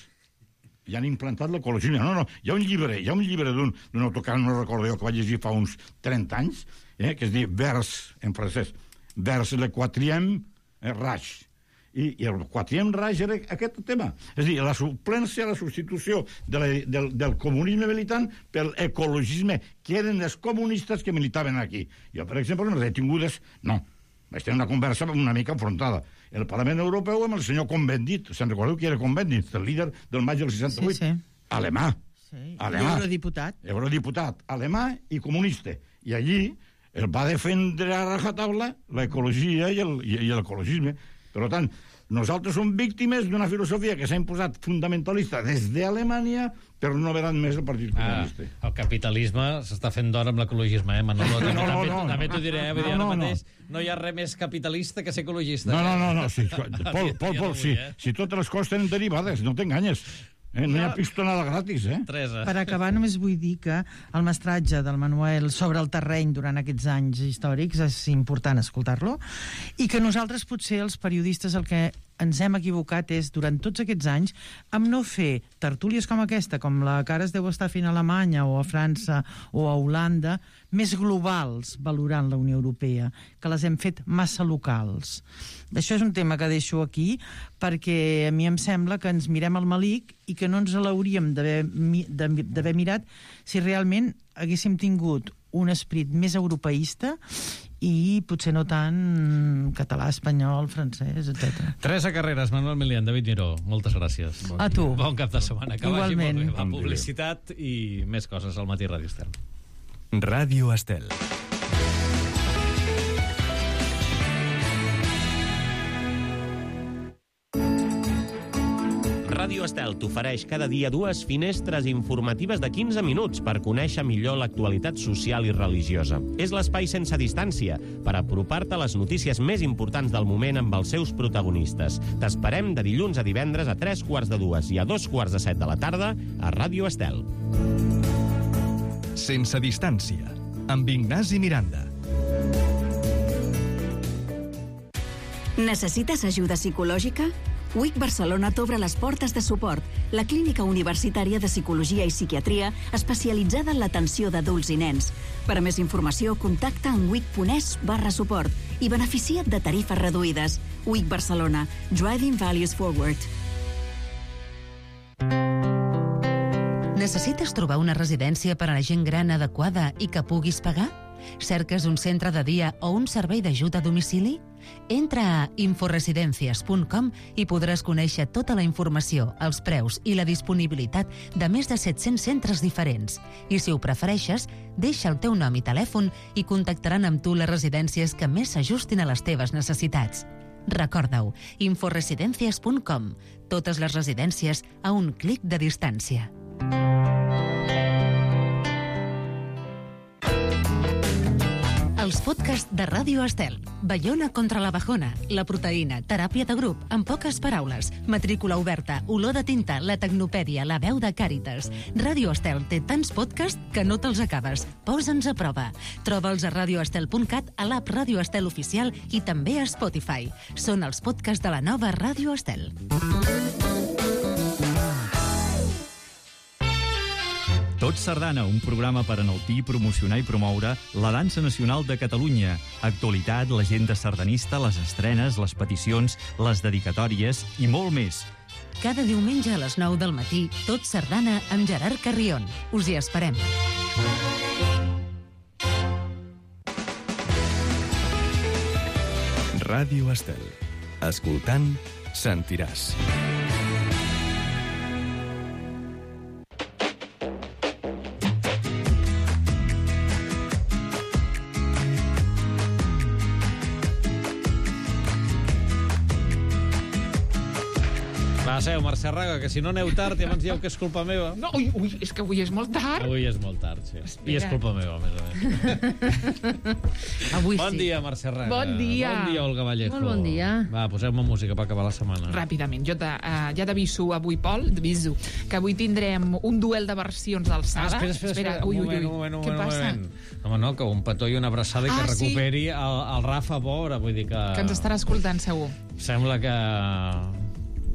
I han implantat l'ecologia. No, hi ha un llibre d'un autor, no recordo jo, que vaig llegir fa uns 30 anys, que es diu Vers, en francès, Vers le quatrième Reich. I el quatriem raig era aquest tema. És a dir, la suplència, la substitució del comunisme militant pel ecologisme, que eren els comunistes que militaven aquí. Jo, per exemple, en les detingudes, no. Vaig tenir una conversa una mica enfrontada. El Parlament Europeu amb el senyor Cohn-Bendit. Se'n recordeu qui era Cohn-Bendit? El líder del maig del 68. Sí. Alemà. Sí. Alemà. Eurodiputat, alemà i comunista. I allí el va defendre a rajatabla l'ecologia i l'ecologisme. Per tant, nosaltres som víctimes d'una filosofia que s'ha imposat fundamentalista des d'Alemanya, però no veran més el Partit Comunista. El capitalisme s'està fent d'hora amb l'ecologisme, Manolo? També t'ho diré, vull dir, ara mateix no hi ha res més capitalista que ser ecologista. No. Sí, Pol, si totes les coses tenen derivades, no t'enganyes. No hi ha pistonada gratis, Teresa. Per acabar, només vull dir que el mestratge del Manuel sobre el terreny durant aquests anys històrics és important escoltar-lo, i que nosaltres, potser, els periodistes, el que ens hem equivocat és, durant tots aquests anys, amb no fer tertúlies com aquesta, com la que ara es deu estar fent a Alemanya o a França o a Holanda, més globals valorant la Unió Europea, que les hem fet massa locals. Això és un tema que deixo aquí, perquè a mi em sembla que ens mirem al malic i que no ens l'hauríem d'haver mirat si realment haguéssim tingut un esperit més europeista i potser no tant català, espanyol, francès, etc. Teresa Carreras, Manuel Milián, David Miró, moltes gràcies. A tu. Bon cap de setmana. Que igualment. Vagi molt bé. La publicitat i més coses al Matí Ràdio Estel. Ràdio Estel. Ràdio Estel t'ofereix cada dia 2 finestres informatives de 15 minuts per conèixer millor l'actualitat social i religiosa. És l'espai sense distància per apropar-te a les notícies més importants del moment amb els seus protagonistes. T'esperem de dilluns a divendres a 3:45 i a 2:45 de la tarda a Ràdio Estel. Sense distància, amb Ignasi Miranda. Necessites ajuda psicològica? UIC Barcelona t'obre les portes de suport, la clínica universitària de psicologia i psiquiatria especialitzada en l'atenció d'adults i nens. Per a més informació, contacta amb uic.es/suport i beneficia't de tarifes reduïdes. UIC Barcelona, Driving Values Forward. Necessites trobar una residència per a la gent gran adequada i que puguis pagar? Cerques un centre de dia o un servei d'ajuda a domicili? Entra a inforesidencias.com i podràs conèixer tota la informació, els preus i la disponibilitat de més de 700 centres diferents. I si ho prefereixes, deixa el teu nom i telèfon i contactaran amb tu les residències que més s'ajustin a les teves necessitats. Recorda-ho, inforesidencias.com. Totes les residències a un clic de distància. Els podcasts de Ràdio Estel. Baiona contra la bajona, la proteïna, teràpia de grup, en poques paraules, matrícula oberta, olor de tinta, la tecnopèdia, la veu de Càritas. Ràdio Estel té tants podcasts que no te'ls acabes. Posa'ns a prova. Troba'ls a radioestel.cat, a l'app Ràdio Estel oficial i també a Spotify. Són els podcasts de la nova Ràdio Estel. Tot Sardana, un programa per enaltir, promocionar i promoure la dansa nacional de Catalunya. Actualitat, l'agenda sardanista, les estrenes, les peticions, les dedicatòries i molt més. Cada diumenge a les 9 del matí, Tot Sardana amb Gerard Carrion. Us hi esperem. Ràdio Estel. Escoltant, sentiràs. Va, seu, Mercè Raga, que si no aneu tard i abans dieu que és culpa meva. No, ui, és que avui és molt tard. Avui és molt tard, sí. Espera. I és culpa meva, a més a més. Avui Bon sí. dia, Mercè Raga. Bon dia. Bon dia, Olga Vallejo. Molt bon dia. Va, posem-me música per acabar la setmana. Ràpidament, jo ja t'aviso avui, Pol, t'aviso, que avui tindrem un duel de versions d'alçada. Espera. Ui. Un moment. Què passa? Home, no, que un petó i una abraçada i que Ah, sí. recuperi el Rafa Bora, vull dir que... Que ens estarà escoltant, segur. Sembla que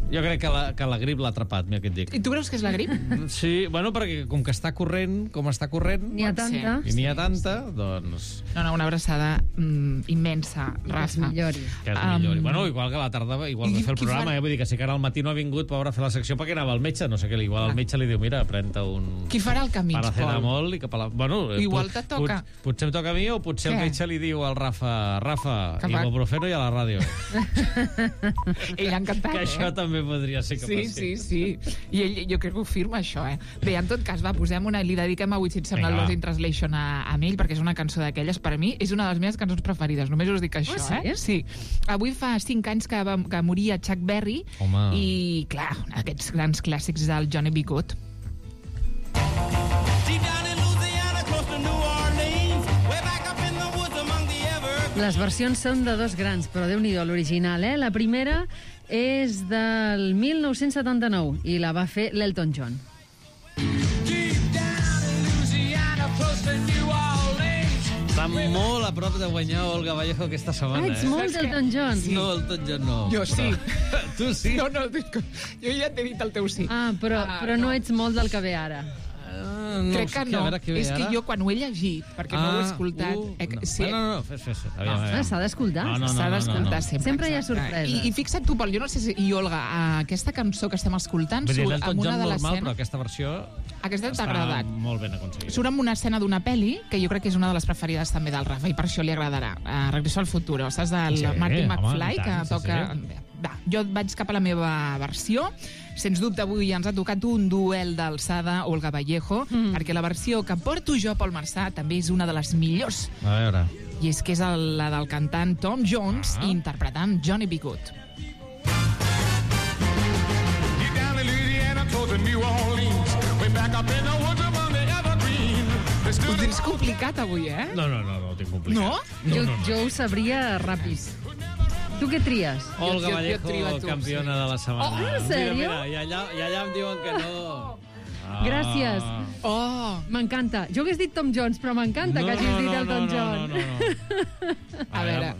Jo crec que la grip l'ha atrapat, mira què et dic. I tu creus que és la grip? Sí, bueno, perquè com que està corrent, N'hi ha tanta. i n'hi ha tanta, doncs... No, una abraçada immensa, Rafa. Que es millori. Bueno, igual que a la tarda, igual de fer el programa, vull dir que si que ara al matí no ha vingut, pobre, a fer la secció perquè anava al metge, no sé què, igual el metge li diu, mira, pren-te un... Qui farà el camí, paracetamol i cap a la... Bueno, igual te toca. Potser em toca a mi o potser el metge li diu al Rafa, ibuprofeno i a la ràdio. Ell ha encantat, que això també podria ser que Sí. I ell, jo crec que ho firma, això, Bé, en tot cas, va, posem una... Li dediquem avui, si et sembla, el Lost in Translation a ell, perquè és una cançó d'aquelles. Per a mi és una de les meves cançons preferides. Només us dic això, Sí. Avui fa 5 anys que moria Chuck Berry. Home. I, clar, aquests grans clàssics del Johnny B. Good. Les versions són de dos grans, però Déu-n'hi-do, l'original, La primera és del 1979 i la va fer l'Elton John. Està molt a prop de guanyar Olga Vallejo aquesta setmana. Ets molt d'Elton John. No, Elton John no. Jo sí. Tu sí? No, jo ja t'he dit el teu sí. Però no ets molt del que ve ara. No, crec que no. És que jo, quan ho he llegit, perquè no ho he escoltat... No, fes. S'ha d'escoltar. S'ha d'escoltar sempre. Sempre hi ha sorpresa. I fixa't tu, Pol, jo no sé si... I Olga, aquesta cançó que estem escoltant surt amb una de l'escena... normal, però aquesta versió... Aquesta t'ha agradat. Molt ben aconseguida. Surt amb una escena d'una pel·li, que jo crec que és una de les preferides també del Rafa, i per això li agradarà. Regreso al futuro. Saps del Martin McFly, que toca... Va, jo vaig cap a la meva versió. Sens dubte, avui ens ha tocat un duel d'alçada, Olga Vallejo, perquè la versió que porto jo, Pol Marçà, també és una de les millors. A veure. I és que és la del cantant Tom Jones interpretant Johnny B. Good. Ho tens complicat avui, No, ho tinc complicat. No? Jo ho sabria ràpid. Tu què tries? Olga Vallejo, campiona de la setmana. Oh, en sèrio? Mira, i allà em diuen que no. Gràcies. M'encanta. Jo hagués dit Tom Jones, però m'encanta que hagis dit Elton John. No. A veure.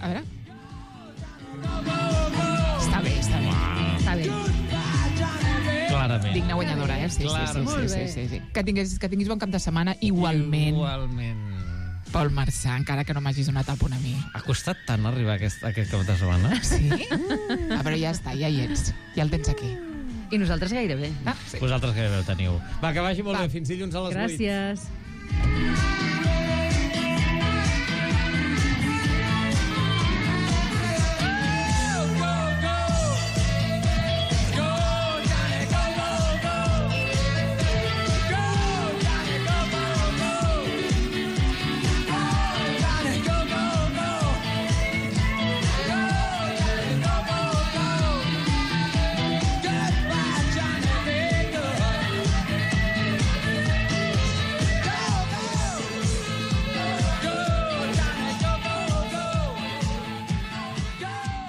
Està bé. Està bé. Clarament. Digna guanyadora, Sí. Que tinguis bon cap de setmana igualment. Pol Marçà, encara que no m'hagis donat el punt a mi. Ha costat tant arribar a aquest cap de setmana? Sí? Però ja està, ja hi ets. Ja el tens aquí. I nosaltres gairebé. Sí. Vosaltres gairebé ho teniu. Va, que vagi molt bé. Fins dilluns a les 8. Gràcies.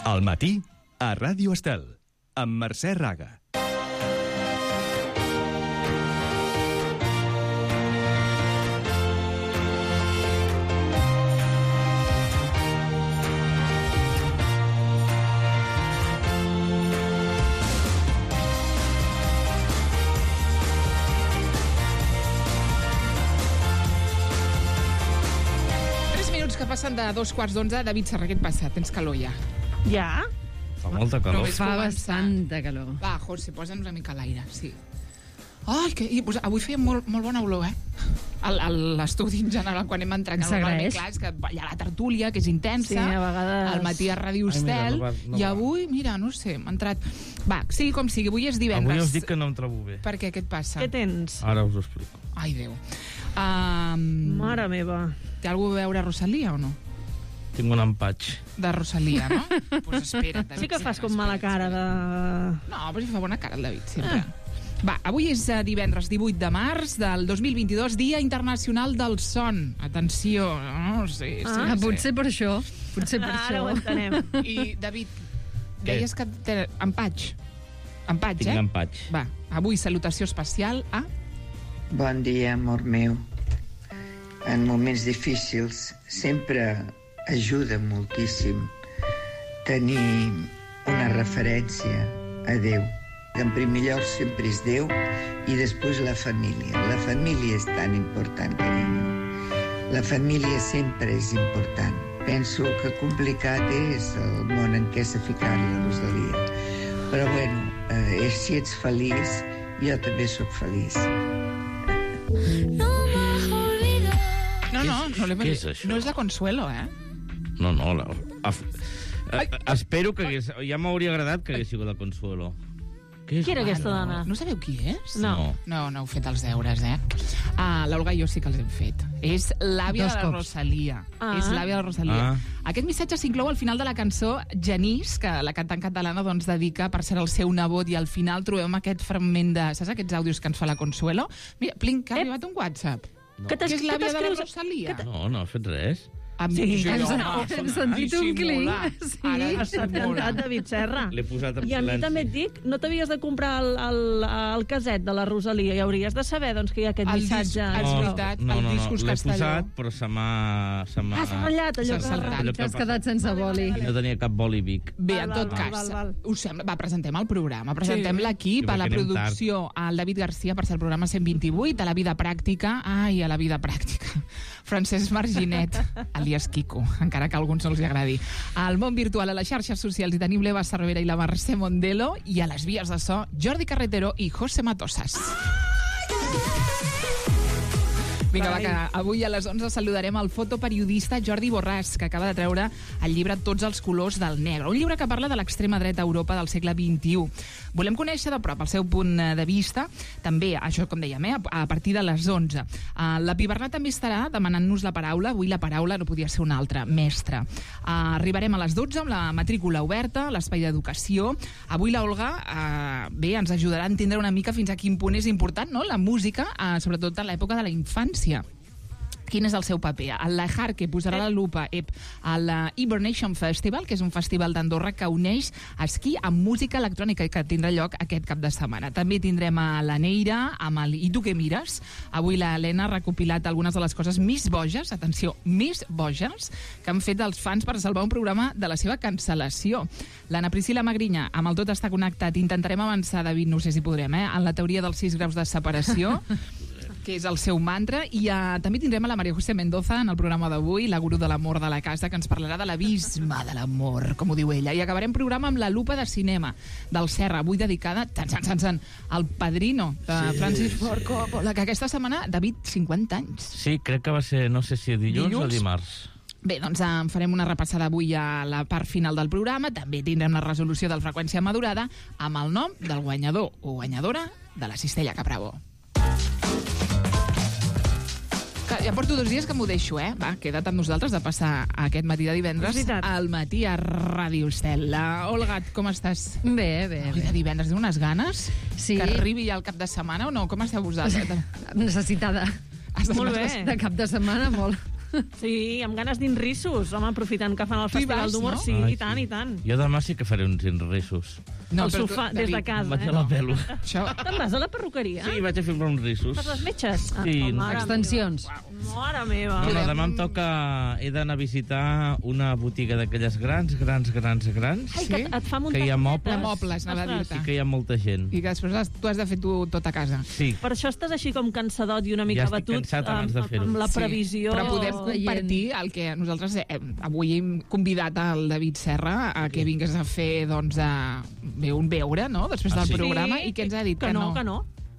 Al matí, a Ràdio Estel, amb Mercè Raga. Passen de 2:15. David Serra, què et passa? Tens calor ja. Ja? Fa molta calor. Fa bastanta calor. Va, José, posa'ns una mica a l'aire, sí. Ai, avui feia molt bona olor, l'estudi en general, quan hem entrat. S'agraeix. Clar, és que hi ha la tertúlia, que és intensa. Sí, a vegades... Al matí a Ràdio Estel. I avui, mira, no sé, m'ha entrat... Va, sigui com sigui, avui és divendres. Avui us dic que no em trobo bé. Per què? Què et passa? Què tens? Ara us ho explico. Ai, Déu. Mare meva. Té alguna a veure Rosalia o no? Tinc un empatx. De Rosalia, no? Pues espera't, David. Sí que fas com mala cara de... No, però si fa bona cara el David, sempre. Va, avui és divendres 18 de març del 2022, Dia Internacional del Son. Atenció, no sé. Potser per això. Potser per Ara ho entenem. I, David, deies que té empatx. Empatx, Tinc empatx. Va, avui salutació especial a... Bon dia, amor meu. En moments difícils sempre ajuda moltíssim tenir una referència a Déu. que en primer lloc sempre és Déu i després la família. La família és tan important, carinyo. La família sempre és important. Penso que complicat és el món en què s'ha ficat la Rosalia. Però bueno, si ets feliç, jo també sóc feliç. Què és això? No és la Consuelo, eh? No, espero que ja m'hauria agradat que hagués sigut la Consuelo. Qui era aquesta dona? No sabeu qui és? No. No heu fet els deures, eh? L'Olga i jo sí que els hem fet. És l'àvia de la Rosalia. És l'àvia de la Rosalia. Aquest missatge s'inclou al final de la cançó Genís, que la cantant catalana dedica per ser el seu nebot, i al final trobem aquest fragment de... Saps aquests àudios que ens fa la Consuelo? Mira, Plinc, que ha arribat un WhatsApp. Que és l'àvia de la Rosalia. No has fet res. Sí, hem sentit un clic. Ha cantat David Serra. L'he posat en silenci. I a mi també et dic, no t'havies de comprar el caset de la Rosalia i hauries de saber que hi ha aquest missatge. És veritat, el discos Castelló. L'he posat, però se m'ha ratllat, allò que... T'has quedat sense boli. No tenia cap boli Vic. Bé, en tot cas, us sembla... Va, presentem el programa, presentem l'equip, a la producció, al David Garcia, per ser el programa 128, a la vida pràctica, a la vida pràctica, Francesc Marginet, alias Quico, encara que a alguns no els agradi. Al món virtual, a les xarxes socials, hi tenim l'Eva Cervera i la Mercè Mondelo, i a les vies de so, Jordi Carretero i José Matosas. Vinga, va, que avui a les 11 saludarem el fotoperiodista Jordi Borràs, que acaba de treure el llibre Tots els colors del negre, un llibre que parla de l'extrema dreta a Europa del segle XXI. Volem conèixer de prop el seu punt de vista, també, això com dèiem, a partir de les 11. La Pibernat també estarà demanant-nos la paraula, avui la paraula no podia ser una altra, mestre. Arribarem a les 12 amb la matrícula oberta, l'espai d'educació. Avui la Olga, bé, ens ajudarà a entendre una mica fins a quin punt és important, no?, la música, sobretot en l'època de la infància. Quin és el seu paper? El Lejar, que posarà la lupa a la Hibernation Festival, que és un festival d'Andorra que uneix esquí amb música electrònica i que tindrà lloc aquest cap de setmana. També tindrem a la Neira amb el I tu què mires? Avui la Helena ha recopilat algunes de les coses més boges, atenció, més boges, que han fet els fans per salvar un programa de la seva cancel·lació. L'Anna Priscila Magrinya, amb el Tot està connectat, intentarem avançar, David, no sé si podrem, en la teoria dels 6 graus de separació, que és el seu mantra, i també tindrem a la María José Mendoza en el programa d'avui, la gurú de l'amor de la casa, que ens parlarà de l'abisme de l'amor, com ho diu ella. I acabarem programa amb la lupa de cinema del Serra, avui dedicada al Padrino de Francis Ford Coppola, que aquesta setmana, David, 50 anys. Sí, crec que va ser, no sé si dilluns o dimarts. Bé, doncs farem una repassada avui a la part final del programa. També tindrem la resolució del Freqüència Madurada amb el nom del guanyador o guanyadora de la Cistella Capravo. Ja porto 2 dies que m'ho deixo, Va, queda't amb nosaltres de passar aquest matí de divendres al matí a Ràdio Estel. Olga, com estàs? Bé. Avui de divendres, tinc unes ganes que arribi ja el cap de setmana o no? Com esteu vosaltres? Necessitada. Molt bé. De cap de setmana, molt. Sí, amb ganes d'inrissos, home, aprofitant que fan el Festival d'Humor, sí, i tant. Jo demà sí que faré uns inrissos. No, al sofà, des de casa, Vaig a la pelo. Te'n vas a la perruqueria? Sí, vaig a fer uns rissos. Per les metges? Sí. Extensions. Mare meva. No, demà em toca... He d'anar a visitar una botiga d'aquelles grans. Ai, que et fa muntar... Que hi ha mobles. Mobles, anava a dir-te. Sí que hi ha molta gent. I que després tu has de fer tot a casa. Sí. Per això estàs així com cansadot i una mica batut. Ja estic cansat abans de fer-ho. Amb la previsió... Però podem compartir el que nosaltres avui hem convidat al David Serra a que vingués a fer, doncs, un veure, no?, després del programa, i què ens ha dit? Que no,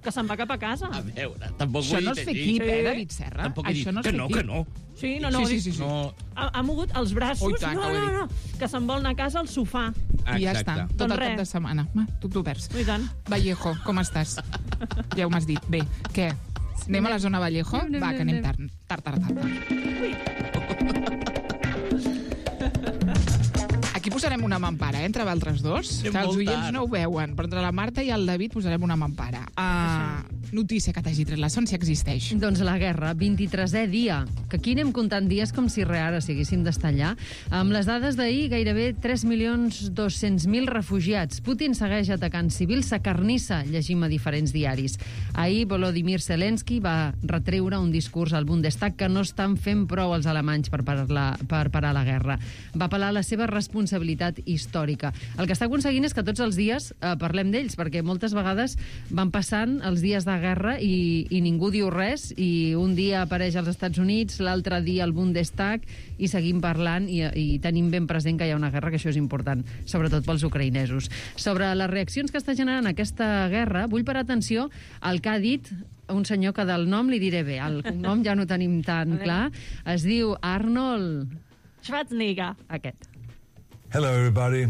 que se'n va cap a casa. A veure, tampoc això no és fer equip, David Serra? Això no és fer equip. Que no. Sí, no. Ha mogut els braços. No. Que se'n vol anar a casa al sofà. I ja està, tot el cap de setmana. Tu perds. I tant. Vallejo, com estàs? Ja ho m'has dit. Bé, què? Anem a la zona Vallejo? Va, que anem tard. Aquí posarem una mampara, entre altres dos, que els oients no ho veuen, però entre la Marta i el David posarem una mampara. notícia que t'hagi tret la Son, si existeix. Doncs la guerra, 23è dia, que aquí anem comptant dies com si ara s'haguessin d'estar allà. Amb les dades d'ahir, gairebé 3.200.000 refugiats. Putin segueix atacant civils, s'acarnissa, llegim a diferents diaris. Ahir Volodymyr Zelensky va retreure un discurs al Bundestag que no estan fent prou els alemanys per parar la guerra. Va apel·lar a la seva responsabilitat històrica. El que està aconseguint és que tots els dies parlem d'ells, perquè moltes vegades van passant els dies de guerra i ningú diu res, i un dia apareix als Estats Units, l'altre dia al Bundestag, i seguim parlant i tenim ben present que hi ha una guerra, que això és important, sobretot pels ucraïnesos. Sobre les reaccions que està generant aquesta guerra, vull parar atenció al que ha dit un senyor que del nom li diré bé, el cognom ja no tenim tan clar, es diu Arnold Schwarzenegger. Aquest. Hello everybody,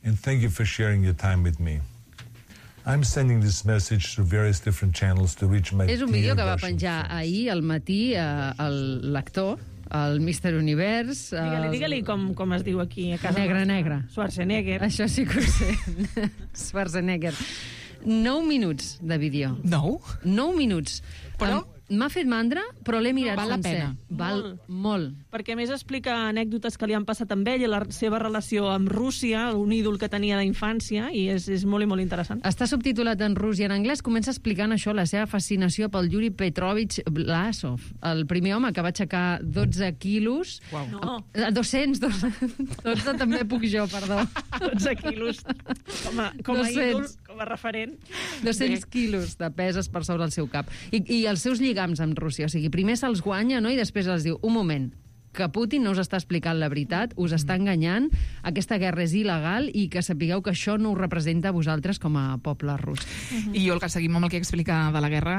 and thank you for sharing your time with me. I'm sending this message through various different channels to reach my És un vídeo que va penjar ahir al matí l'actor, el Mr. Univers... Digue-li com es diu aquí a casa. Negre. Schwarzenegger. Això sí que ho sé. Schwarzenegger. 9 minuts de vídeo. 9? 9 minuts. Però... M'ha fet mandra, però l'he mirat val sencer. La pena. Val molt. Perquè a més explica anècdotes que li han passat amb ell i la seva relació amb Rússia, un ídol que tenia d'infància, i és molt i molt interessant. Està subtitulat en rus i en anglès. Comença explicant això, la seva fascinació pel Yuri Petrovich Vlasov, el primer home que va aixecar 12 quilos. Uau. No. 200, 12 també puc jo, perdó. 12 quilos com a ídol, com a referent. 200 quilos de peses per sobre el seu cap. I els seus lligams amb Rússia. O sigui, primer se'ls guanya, no?, i després els diu, un moment, que Putin no us està explicant la veritat, us està enganyant, aquesta guerra és il·legal i que sapigueu que això no us representa a vosaltres com a poble rus. I jo, el que seguim amb el que explica de la guerra,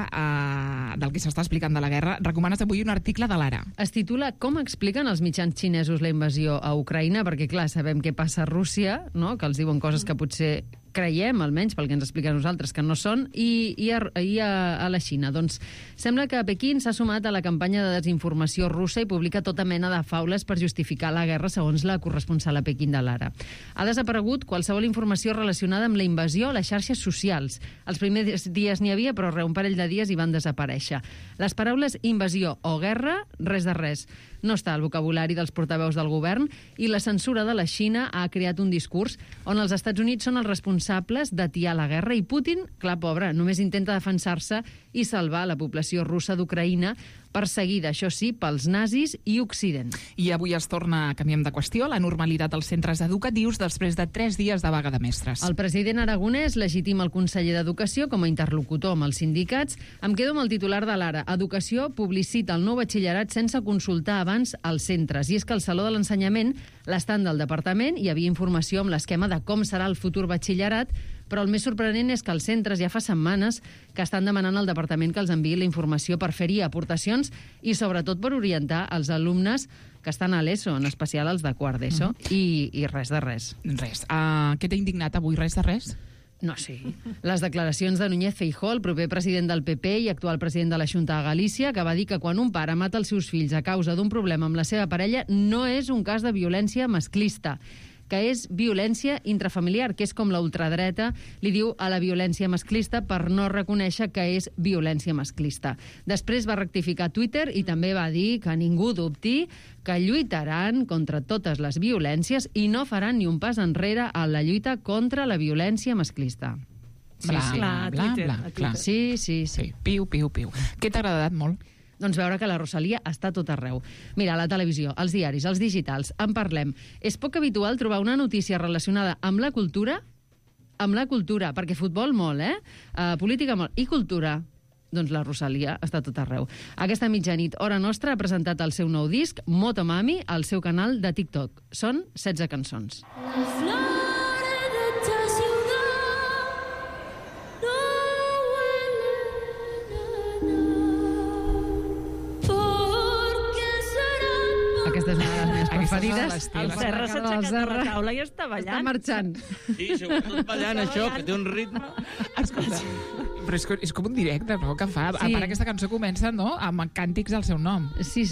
del que s'està explicant de la guerra, recomanes avui un article de l'Ara. Es titula Com expliquen els mitjans xinesos la invasió a Ucraïna, perquè, clar, sabem què passa a Rússia, no?, que els diuen coses que potser creiem, almenys pel que ens expliquen nosaltres, que no són, i a la Xina. Doncs sembla que Pequín s'ha sumat a la campanya de desinformació russa i publica tota mena de faules per justificar la guerra, segons la corresponsal a Pequín de l'Ara. Ha desaparegut qualsevol informació relacionada amb la invasió a les xarxes socials. Els primers dies n'hi havia, però un parell de dies hi van desaparèixer. Les paraules invasió o guerra, res de res. No està al vocabulari dels portaveus del govern, i la censura de la Xina ha creat un discurs on els Estats Units són els responsables d'atiar la guerra, i Putin, clar, pobre, només intenta defensar-se i salvar la població russa d'Ucraïna, perseguida, això sí, pels nazis i Occident. I avui es torna, canviem de qüestió, la normalitat als centres educatius després de 3 dies de vaga de mestres. El president aragonès legitima el conseller d'Educació com a interlocutor amb els sindicats. Em quedo amb el titular de l'Ara. Educació publicita el nou batxillerat sense consultar abans als centres. I és que al Saló de l'Ensenyament, l'estand del departament, hi havia informació amb l'esquema de com serà el futur batxillerat, però el més sorprenent és que els centres ja fa setmanes que estan demanant al departament que els enviï la informació per fer-hi aportacions i sobretot per orientar els alumnes que estan a l'ESO, en especial els de quart d'ESO, i res de res. Res. Què t'ha indignat avui? Res de res? No, sí. Les declaracions de Núñez Feijóo, el proper president del PP i actual president de la Xunta de Galícia, que va dir que quan un pare mata els seus fills a causa d'un problema amb la seva parella no és un cas de violència masclista, que és violència intrafamiliar, que és com la ultradreta li diu a la violència masclista per no reconèixer que és violència masclista. Després va rectificar Twitter i també va dir que ningú dubti que lluitaran contra totes les violències i no faran ni un pas enrere a la lluita contra la violència masclista. Clar. Sí. Piu. Què t'ha agradat molt? Doncs veure que la Rosalia està tot arreu. Mira, a la televisió, als diaris, als digitals, en parlem. És poc habitual trobar una notícia relacionada amb la cultura, perquè futbol molt, política molt, i cultura, doncs la Rosalia està tot arreu. Aquesta mitjanit, hora nostra, ha presentat el seu nou disc, Motomami, al seu canal de TikTok. Són 16 cançons. Aquesta és una de les meves preferides. El Serra s'ha aixecat de la taula i està ballant. Està marxant. Sí, sobretot ballant, això, que té un ritme. Escolta, però és com un directe, no?, que fa. Sí. A part, aquesta cançó comença, no?, amb càntics al seu nom. Sí.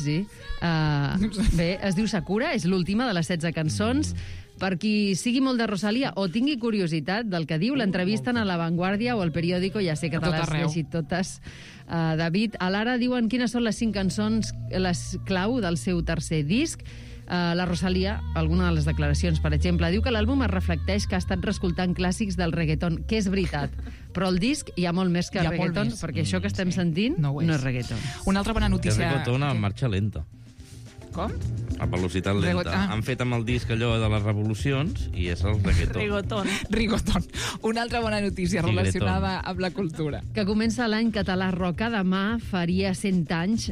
Bé, es diu Sakura, és l'última de les 16 cançons. Per qui sigui molt de Rosalía o tingui curiositat del que diu, l'entrevisten a La Vanguardia o al Periódico, ja sé que te l'has llegit totes, David. A l'Ara diuen quines són les 5 cançons, les clau del seu tercer disc. La Rosalía, alguna de les declaracions, per exemple, diu que l'àlbum es reflecteix que ha estat reescoltant clàssics del reggaeton, que és veritat, però el disc hi ha molt més que reggaeton, perquè això que estem sentint no és reggaeton. Una altra bona notícia... És reggaeton a marxa lenta. Com? A velocitat lenta. Han fet amb el disc allò de les revolucions i és el reggaeton. Rigoton. Una altra bona notícia relacionada amb la cultura. Que comença l'any català Roca. Demà faria 100 anys...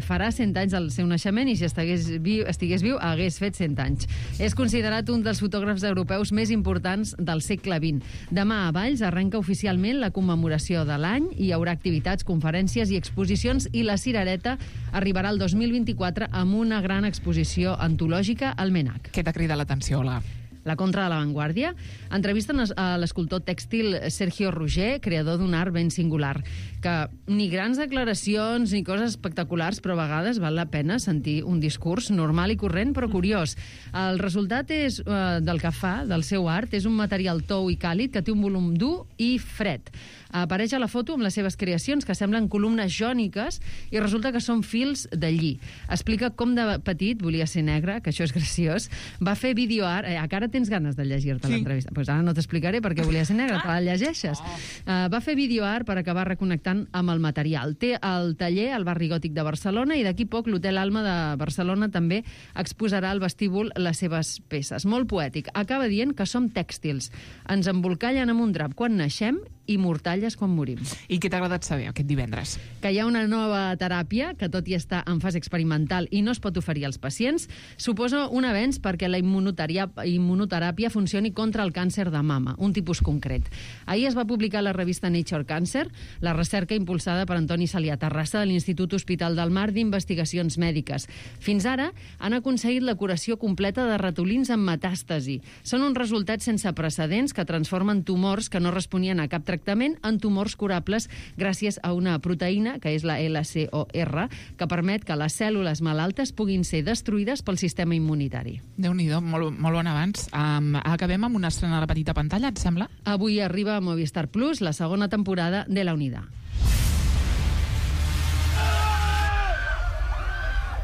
farà 100 anys del seu naixement i si estigués viu hagués fet 100 anys. És considerat un dels fotògrafs europeus més importants del segle XX. Demà a Valls arrenca oficialment la commemoració de l'any. Hi haurà activitats, conferències i exposicions i la Cirereta arribarà el 2024 amb una gran exposició antològica al MNAC. Què t'ha cridat l'atenció, Olga? La contra de l'avantguàrdia. Entrevisten a l'escultor tèxtil Sergio Roger, creador d'un art ben singular, que ni grans declaracions ni coses espectaculars, però a vegades val la pena sentir un discurs normal i corrent, però curiós. El resultat és del que fa, del seu art, és un material tou i càlid que té un volum dur i fred. Apareix a la foto amb les seves creacions, que semblen columnes jòniques, i resulta que són fils de lli. Explica com de petit volia ser negre, que això és graciós, va fer videoart... Ara tens ganes de llegir-te l'entrevista. Pues ara no t'explicaré perquè volia ser negre, te la llegeixes. Va fer videoart per acabar reconnectant amb el material. Té el taller al barri gòtic de Barcelona i d'aquí poc l'Hotel Alma de Barcelona també exposarà al vestíbul les seves peces. Molt poètic. Acaba dient que som tèxtils. Ens embolcallen amb un drap quan naixem i mortalles quan morim. I què t'ha agradat saber aquest divendres? Que hi ha una nova teràpia que, tot i estar en fase experimental i no es pot oferir als pacients, suposa un avenç perquè la immunoteràpia funcioni contra el càncer de mama, un tipus concret. Ahir es va publicar a la revista Nature Cancer la recerca impulsada per Antoni Salià Terrassa de l'Institut Hospital del Mar d'Investigacions Mèdiques. Fins ara han aconseguit la curació completa de ratolins amb metàstasi. Són uns resultats sense precedents que transformen tumors que no responien a cap tractament en tumors curables gràcies a una proteïna, que és la LCOR, que permet que les cèl·lules malaltes puguin ser destruïdes pel sistema immunitari. Déu-n'hi-do, molt bon avanç. Acabem amb una estrena a la petita pantalla, et sembla? Avui arriba a Movistar Plus la segona temporada de La Unidad.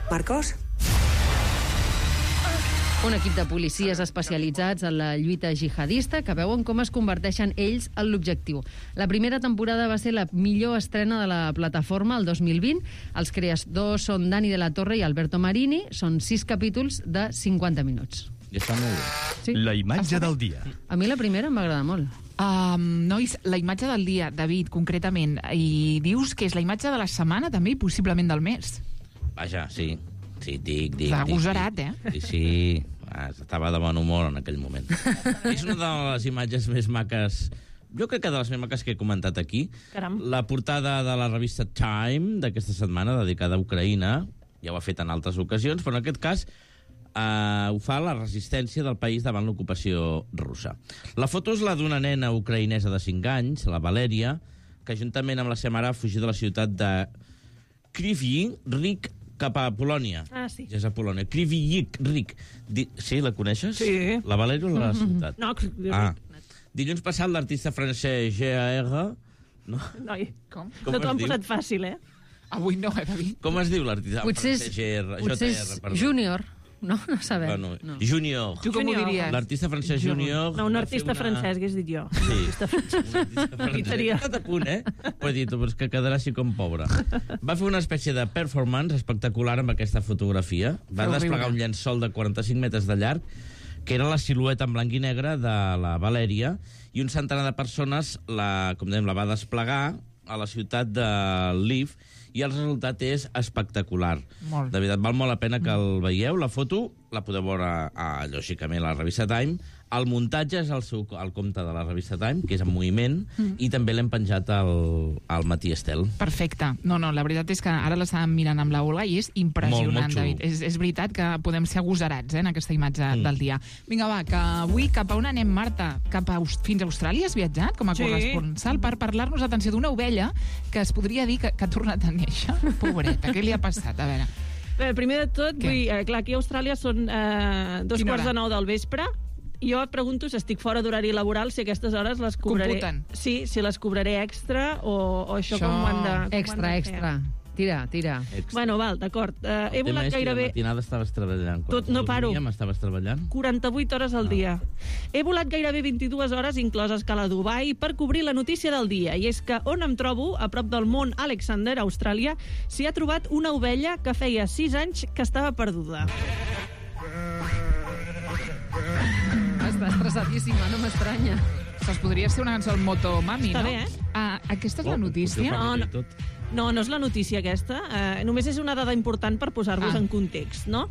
Marcos? Un equip de policies especialitzats en la lluita jihadista que veuen com es converteixen ells en l'objectiu. La primera temporada va ser la millor estrena de la plataforma el 2020. Els creadors són Dani de la Torre i Alberto Marini. Són 6 capítols de 50 minuts. I està molt bé. Sí. La imatge del dia. A mi la primera em va agradar molt. Nois, la imatge del dia, David, concretament, i dius que és la imatge de la setmana també i possiblement del mes. Vaja, sí. Sí, dic. Agosarat, Sí, estava de bon humor en aquell moment. És una de les imatges més maques, jo crec que de les més maques que he comentat aquí. Caram. La portada de la revista Time d'aquesta setmana, dedicada a Ucraïna, ja ho ha fet en altres ocasions, però en aquest cas ho fa la resistència del país davant l'ocupació russa. La foto és la d'una nena ucraïnesa de 5 anys, la Valèria, que juntament amb la seva mare ha fugit de la ciutat de Kryvyi Rih cap a Polònia. Sí. Ja és a Polònia. Kryvyi Rih. Sí, la coneixes? Sí. La Valèria o la ciutat? No, Dilluns passat l'artista francès G.A.R. No? Noi, com? No t'ho han posat fàcil, Avui no, David. Com es diu l'artista francès G.R.? Potser és Júnior. No sabem. No. Junior. Tu com ho diries? L'artista francès Junior... No, un artista francès, hagués dit jo. Sí. Un artista francès. Estat a punt, Ho he dit, però és que quedarà així com pobre. Va fer una espècie de performance espectacular amb aquesta fotografia. Va desplegar un llençol de 45 metres de llarg, que era la silueta en blanc i negre de la Valèria, i un centenar de persones la va desplegar a la ciutat de Lviv, i el resultat és espectacular. Molt. De veritat, val molt la pena que el veieu. La foto la podeu veure, lògicament, a la revista Time. El muntatge és el compte de la revista Time, que és en moviment, i també l'hem penjat al Matí Estel. Perfecte. No, la veritat és que ara l'estàvem mirant amb la Ola i és impressionant, molt David. És veritat que podem ser agosarats en aquesta imatge del dia. Vinga, va, que avui cap a on anem, Marta? Fins a Austràlia has viatjat com a corresponsal per parlar-nos, atenció, d'una ovella que es podria dir que ha tornat a néixer. Pobreta, què li ha passat? A veure... Primer de tot, clar, aquí a Austràlia són 2:45 del vespre, Jo et pregunto si estic fora d'horari laboral, si aquestes hores les cobraré... Computen. Sí, si les cobraré extra o això com ho han de... Extra. Tira. Bueno, val, d'acord. He volat gairebé... La matinada estaves treballant. No paro. Estaves treballant? 48 hores al dia. He volat gairebé 22 hores, incloses escala a Dubai, per cobrir la notícia del dia. I és que on em trobo, a prop del Mont Alexander, a Austràlia, s'hi ha trobat una ovella que feia 6 anys que estava perduda. Està estressadíssima, no m'estranya. Això podria ser una cançó del Motomami, Està no? bé, Aquesta és la notícia? No és la notícia aquesta. Només és una dada important per posar-vos en context, no?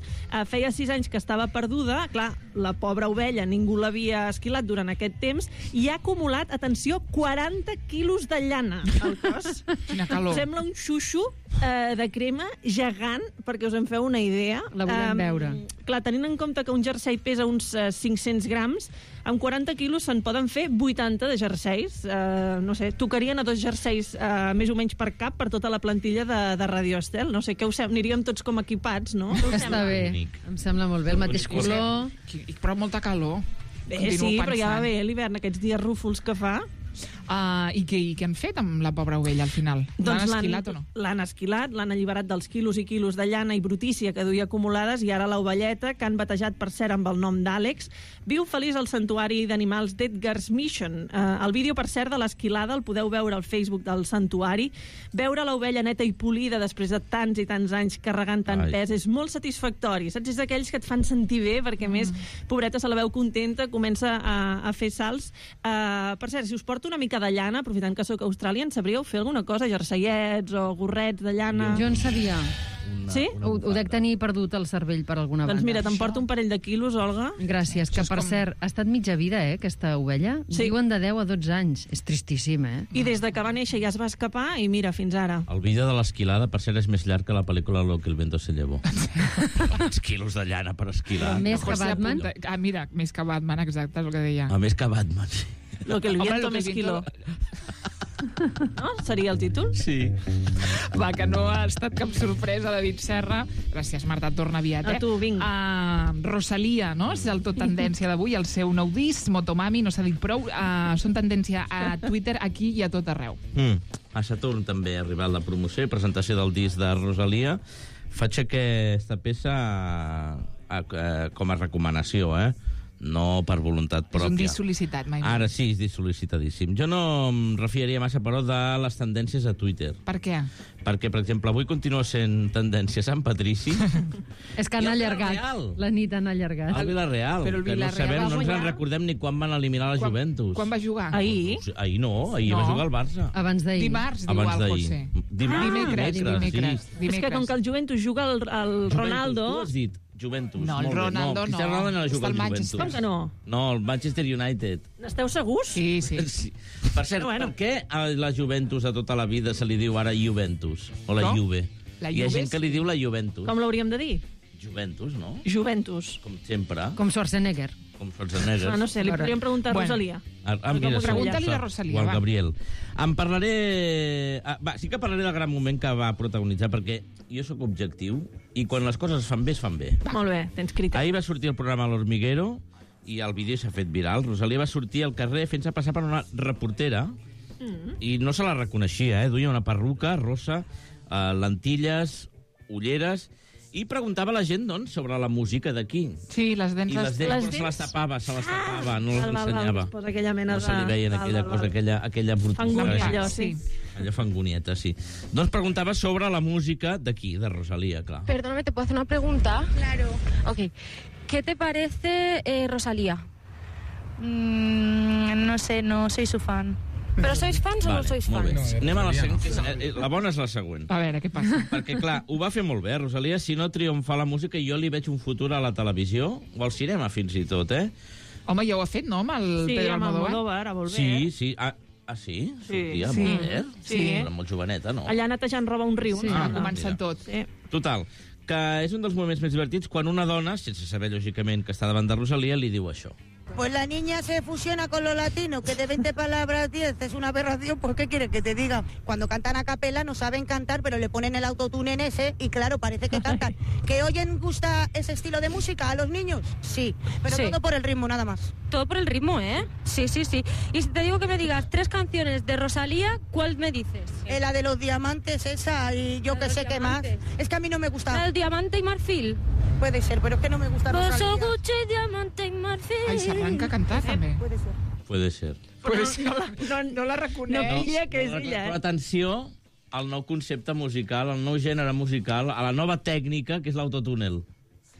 Feia 6 anys que estava perduda. Clar, la pobra ovella, ningú l'havia esquilat durant aquest temps i ha acumulat, atenció, 40 quilos de llana al cos. Quina calor. Sembla un xuxo de crema gegant, perquè us en feu una idea. La volem veure. Clar, tenint en compte que un jersei pesa uns 500 grams, amb 40 quilos se'n poden fer 80 de jerseis. No sé, tocarien a 2 jerseis més o menys per cap per tota la plantilla de Radio Estel. No sé, què us sembla? Aniríem tots com equipats, no? Està bé, em sembla molt bé. El mateix color... Però molta calor. Sí, però ja va bé l'hivern, aquests dies rúfols que fa. I què han fet amb la pobra ovella al final? L'han esquilat o no? L'han esquilat, l'han alliberat dels quilos i quilos de llana i brutícia que duia acumulades i ara l'ovelleta, que han batejat per cert amb el nom d'Àlex, viu feliç al santuari d'animals d'Edgar's Mission. El vídeo, per cert, de l'esquilada el podeu veure al Facebook del santuari. Veure l'ovella neta i polida després de tants i tants anys carregant tant pes és molt satisfactori. Saps? És d'aquells que et fan sentir bé, perquè a més, pobreta, se la veu contenta, comença a fer salts. Per cert, si us porto una mica de llana, aprofitant que sóc a Austràlia, en sabríeu fer alguna cosa? Jerseiets o gorrets de llana? Jo en sabia. Sí? Ho dec tenir perdut el cervell per alguna banda. Doncs mira, t'emporto un parell de quilos, Olga. Gràcies, que per cert, ha estat mitja vida, aquesta ovella. Diuen de 10 a 12 anys. És tristíssim, I des de que va néixer ja es va escapar i mira, fins ara. El vídeo de l'esquilada, per cert, és més llarg que la pel·lícula Lo que el viento se llevó. Els quilos de llana per esquilar. Més que Batman? Mira, més que Batman, exacte, és el que deia. Més que Batman, sí. Lo que el viento me esquiló. No? Seria el títol? Sí. Va, que no ha estat cap sorpresa, David Serra. Gràcies, Marta, torna aviat. A tu, vinc. Rosalia, no? És el tot tendència d'avui, el seu nou disc, Motomami, no s'ha dit prou. Són tendència a Twitter, aquí i a tot arreu. A Saturn també ha arribat la promoció i presentació del disc de Rosalia. Faig aquesta peça com a recomanació, no per voluntat pròpia. És un disc sol·licitat, mai. Ara sí, és disc sol·licitadíssim. Jo no em refiaria massa, però, de les tendències a Twitter. Per què? Perquè, per exemple, avui continua sent tendència Sant Patrici. És que han allargat. La nit han allargat. El Villarreal. Però el que Villarreal no ens en recordem ni quan van eliminar la Juventus. Quan va jugar? Ahir. Ahir no, ahir va jugar el Barça. Abans d'ahir. Dimarts, diu el José. Dimecres. És que com que el Juventus juga el Ronaldo... Tu has dit Juventus. No, el Ronaldo no. Cristiano Ronaldo no juga al Juventus. Com que no? No, el Manchester United. N'esteu segurs? Sí. Per cert, per què a la Juventus de tota la vida se li diu ara Juventus? O la Juve? Hi ha gent que li diu la Juventus. Com l'hauríem de dir? Juventus, no? Juventus. Com sempre. Com Schwarzenegger. No sé, li podríem preguntar a Rosalia. Pregunta-li a Rosalia, o al Gabriel. Em parlaré... sí que parlaré del gran moment que va protagonitzar, perquè jo sóc objectiu i quan les coses es fan bé, es fan bé. Molt bé, tens criteri. Ahir va sortir el programa L'Hormiguero i el vídeo s'ha fet viral. Rosalia va sortir al carrer fent-se passar per una reportera i no se la reconeixia, Duia una perruca rosa, lentilles, ulleres, i preguntava a la gent, doncs, sobre la música d'aquí. Sí, les dents... I les dents se les tapava, no les ensenyava. No se li veien aquella cosa, aquella brutícia. Fangunieta, sí. Allò fangunieta, sí. Doncs preguntava sobre la música d'aquí, de Rosalía, clar. Perdóname, ¿te puedo hacer una pregunta? Claro. Ok. ¿Qué te parece Rosalía? No sé, no soy su fan. ¿Però sois fans o no sois fans? No, anem a la següent. La bona és la següent. A veure, què passa? Perquè, clar, ho va fer molt bé, Rosalia. Si no triomfa la música, jo li veig un futur a la televisió, o al cinema, fins i tot, Home, ja ho ha fet, no?, amb el Pedro Almodóvar. Sí, amb Almodóvar, a Volver. Sí. Sí? Sortia sí. Volver? Sí. Era molt joveneta, no? Allà netejant roba un riu. Sí, va començar tot. Sí. Total, que és un dels moments més divertits quan una dona, sense saber, lògicament, que està davant de Rosalia, li diu això. Pues la niña se fusiona con lo latino, que de 20 palabras 10 es una aberración, pues ¿qué quieres que te diga? Cuando cantan a capela no saben cantar, pero le ponen el autotune en ese y claro, parece que cantan. ¿Que oyen gusta ese estilo de música a los niños? Sí, pero todo por el ritmo, nada más. todo por el ritmo, ¿eh? Sí. Y si te digo que me digas 3 canciones de Rosalía, ¿cuál me dices? La de los diamantes, esa, y yo que sé qué más. Es que a mí no me gusta. ¿La del diamante y marfil? Puede ser, pero es que no me gusta Rosalía. Bosso, Gucci, diamante i marfil. Ai, s'arranca a cantar, també. Puede ser. Puede Però ser. No la reconeix. No pilla que és ella, Però atenció al nou concepte musical, al nou gènere musical, a la nova tècnica, que és l'autotúnel.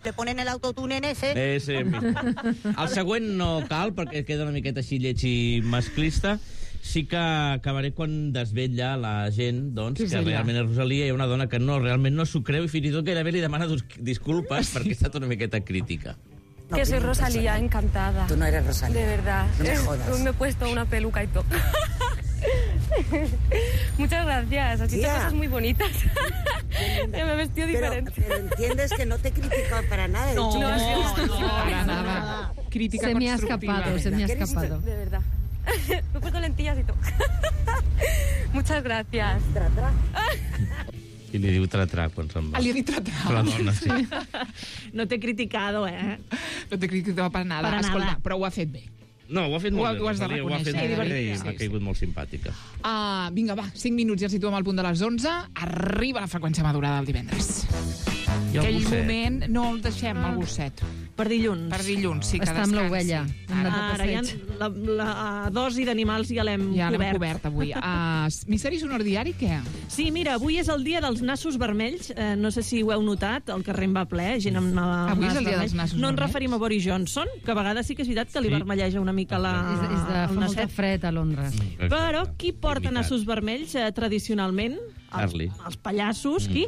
Te ponen el autotune en ese. El següent no cal, perquè queda una miqueta així lleig i masclista. Sí que acabaré quan desvetlla la gent, doncs, que realment és Rosalía, hi ha una dona que realment no s'ho creu i fins i tot gairebé li demana disculpes perquè ha estat una miqueta crítica. Que soy Rosalía, encantada. Tú no eres Rosalía. De verdad. No me jodas. Me he puesto una peluca y todo. Muchas gracias. Has dicho cosas muy bonitas. Me he vestido diferente. Pero entiendes que no te he criticado para nada. No, para nada. Crítica se me ha constructiva. escapado. De verdad. Me he puesto lentillas y todo. Muchas gracias. I li diu tra-tra quan se'n va. Li ha dit tra-tra. La dona, sí. No t'he criticado, eh? No t'he criticat per nada. Escolta, però ho ha fet bé. No, ho ha fet molt bé. Ho has de Rosalía, reconèixer. Ho ha fet molt bé i m'ha caigut molt simpàtica. Vinga, va, 5 minuts i ja situem al punt de les 11. Arriba la freqüència madurada del divendres. I el Aquell gosset? moment no el deixem, el gosset. Per dilluns. Per dilluns, sí, que Està amb descansi. l'ovella. Ara ja la dosi d'animals ja l'hem Ja l'hem cobert. cobert avui. Misteri sonor diari, què? Sí, mira, avui és el dia dels nassos vermells. No sé si ho heu notat, el carrer en va ple, gent amb el Avui és nas el dia vermell. dels nassos No ens vermells? referim a Boris Johnson, que a vegades sí que és veritat que li Sí. vermelleja una mica És de el fa molta nasset. fred a Londres. Però qui porta nassos vermells tradicionalment? Charlie. Els pallassos, qui?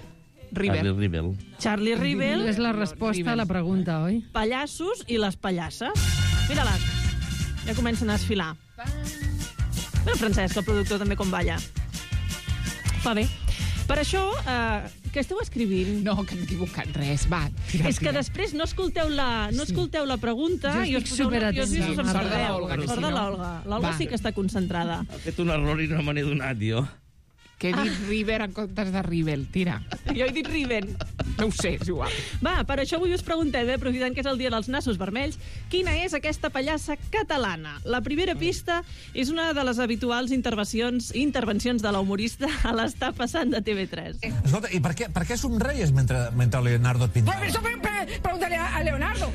Charlie Rivel. Charlie Rivel. És la resposta a la pregunta, oi? Pallassos i les pallasses. Mira-la, ja comencen a desfilar. Mira el Francesc, el productor, també com balla. Fa bé. Per això, què esteu escrivint? No, que m'he equivocat, res. Va, tira. És que després no escolteu la pregunta i us poseu nerviosos amb Sort de l'Olga, que Sort si de no. l'Olga. L'Olga Va. sí que està concentrada. Ha fet un error i no me n'he donat, jo. Que he dit River en comptes de Rivel. Tira. Jo he dit Riven. No ho sé, és igual. Va, per això avui us preguntem, aprofitant que és el dia dels nassos vermells, quina és aquesta pallassa catalana? La primera pista és una de les habituals intervencions de l'humorista a l'Està passant de TV3. Escolta, i per què somreies mentre Leonardo et pintava? Pues eso pregúntale a Leonardo.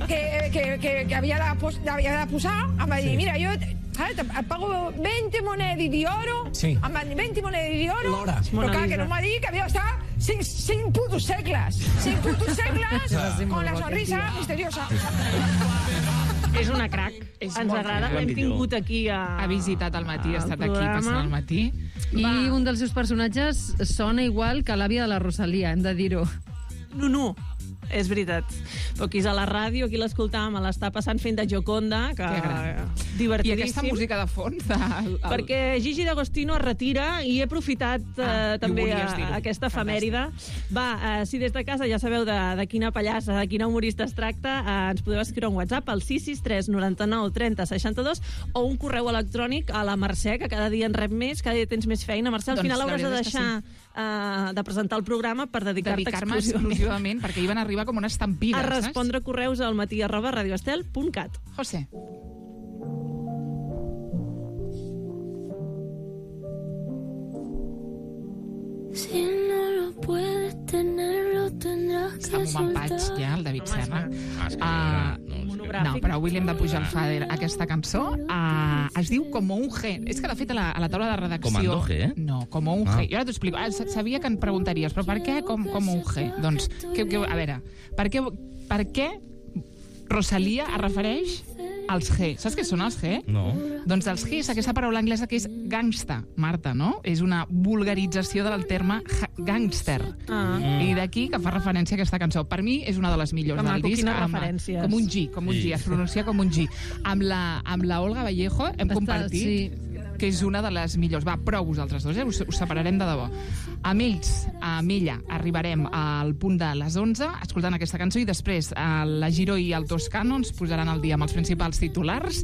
Que havia de posar, em va dir, mira, jo et pago 20 monedes d'oro, Sí. em van dir 20 monedes d'oro, L'hora. però clar, que no m'ha dit que havia d'estar 5 putos segles. 5 putos segles con la sonrisa misteriosa. És una crac. Ens agrada, l'hem tingut aquí Ha visitat al matí, ha estat aquí programa. passant al matí. I un dels seus personatges sona igual que l'àvia de la Rosalia, hem de dir-ho. No. És veritat. Però aquí és a la ràdio, aquí l'escoltàvem, l'està passant fent de Gioconda, que I divertidíssim. aquesta música de fons... Perquè Gigi D'Agostino es retira i he aprofitat també volies dir-ho. aquesta efemèride. Va, si des de casa ja sabeu de quina pallassa, de quina humorista es tracta, ens podeu escriure un WhatsApp al 663 99 30 62 o un correu electrònic a la Mercè, que cada dia en rep més, cada dia tens més feina. Mercè, al Doncs final la hauràs de veritat és que deixar de presentar el programa per dedicar-te Dedicar-me exclusivament, perquè hi van arribar com una estampida, a respondre correus al matí@radioestel.cat. José. Si no lo puedes tener, lo tendrás que Amb un empatx, soltar. ja, el David Serra. monogràfic. No, però avui li hem de pujar el fader a aquesta cançó. Es diu Como un G. És que, de fet, a la taula de redacció... Comando G, eh? No, Como un G. Jo ara t'ho explico. Sabia que em preguntaries, però per què com un G? Doncs, a veure, per què Rosalía es refereix als G? Saps què són els G? No. Doncs els G és aquesta paraula anglesa que és gangsta, Marta, no? És una vulgarització del terme gangster. I d'aquí que fa referència a aquesta cançó. Per mi és una de les millors Que del maco, disc. quines referències. Com un G, es pronuncia com un G. Amb la Olga Vallejo hem compartit que és una de les millors. Va, prou vosaltres dos, us separarem de debò. Amb ella, arribarem al punt de les 11, escoltant aquesta cançó, i després la Giró i el Toscano ens posaran al dia amb els principals titulars,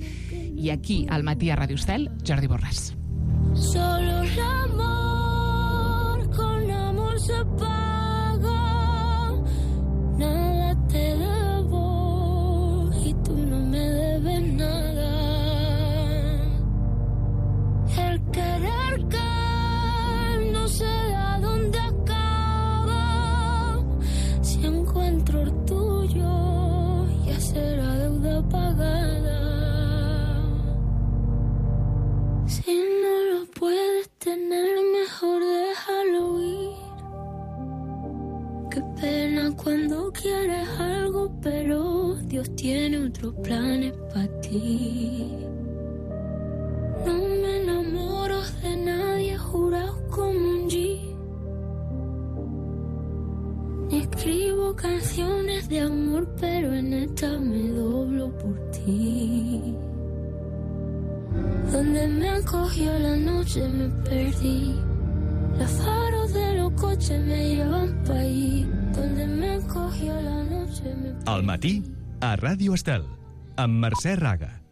i aquí, al matí a Radio Estel, Jordi Borràs. Solo el amor, con amor se paga. Nada te debo y tú no me debes. tener, mejor déjalo ir. Qué pena cuando quieres algo, pero Dios tiene otros planes para ti. No me enamoro de nadie, jurado como un G. Ni escribo canciones de amor, pero en esta me doblo por ti. Donde me acogió la noche me perdí. Los faros de los coches me llevan pa' allí. Donde me acogió la noche me perdí. Al matí, a Ràdio Estel, amb Mercè Raga.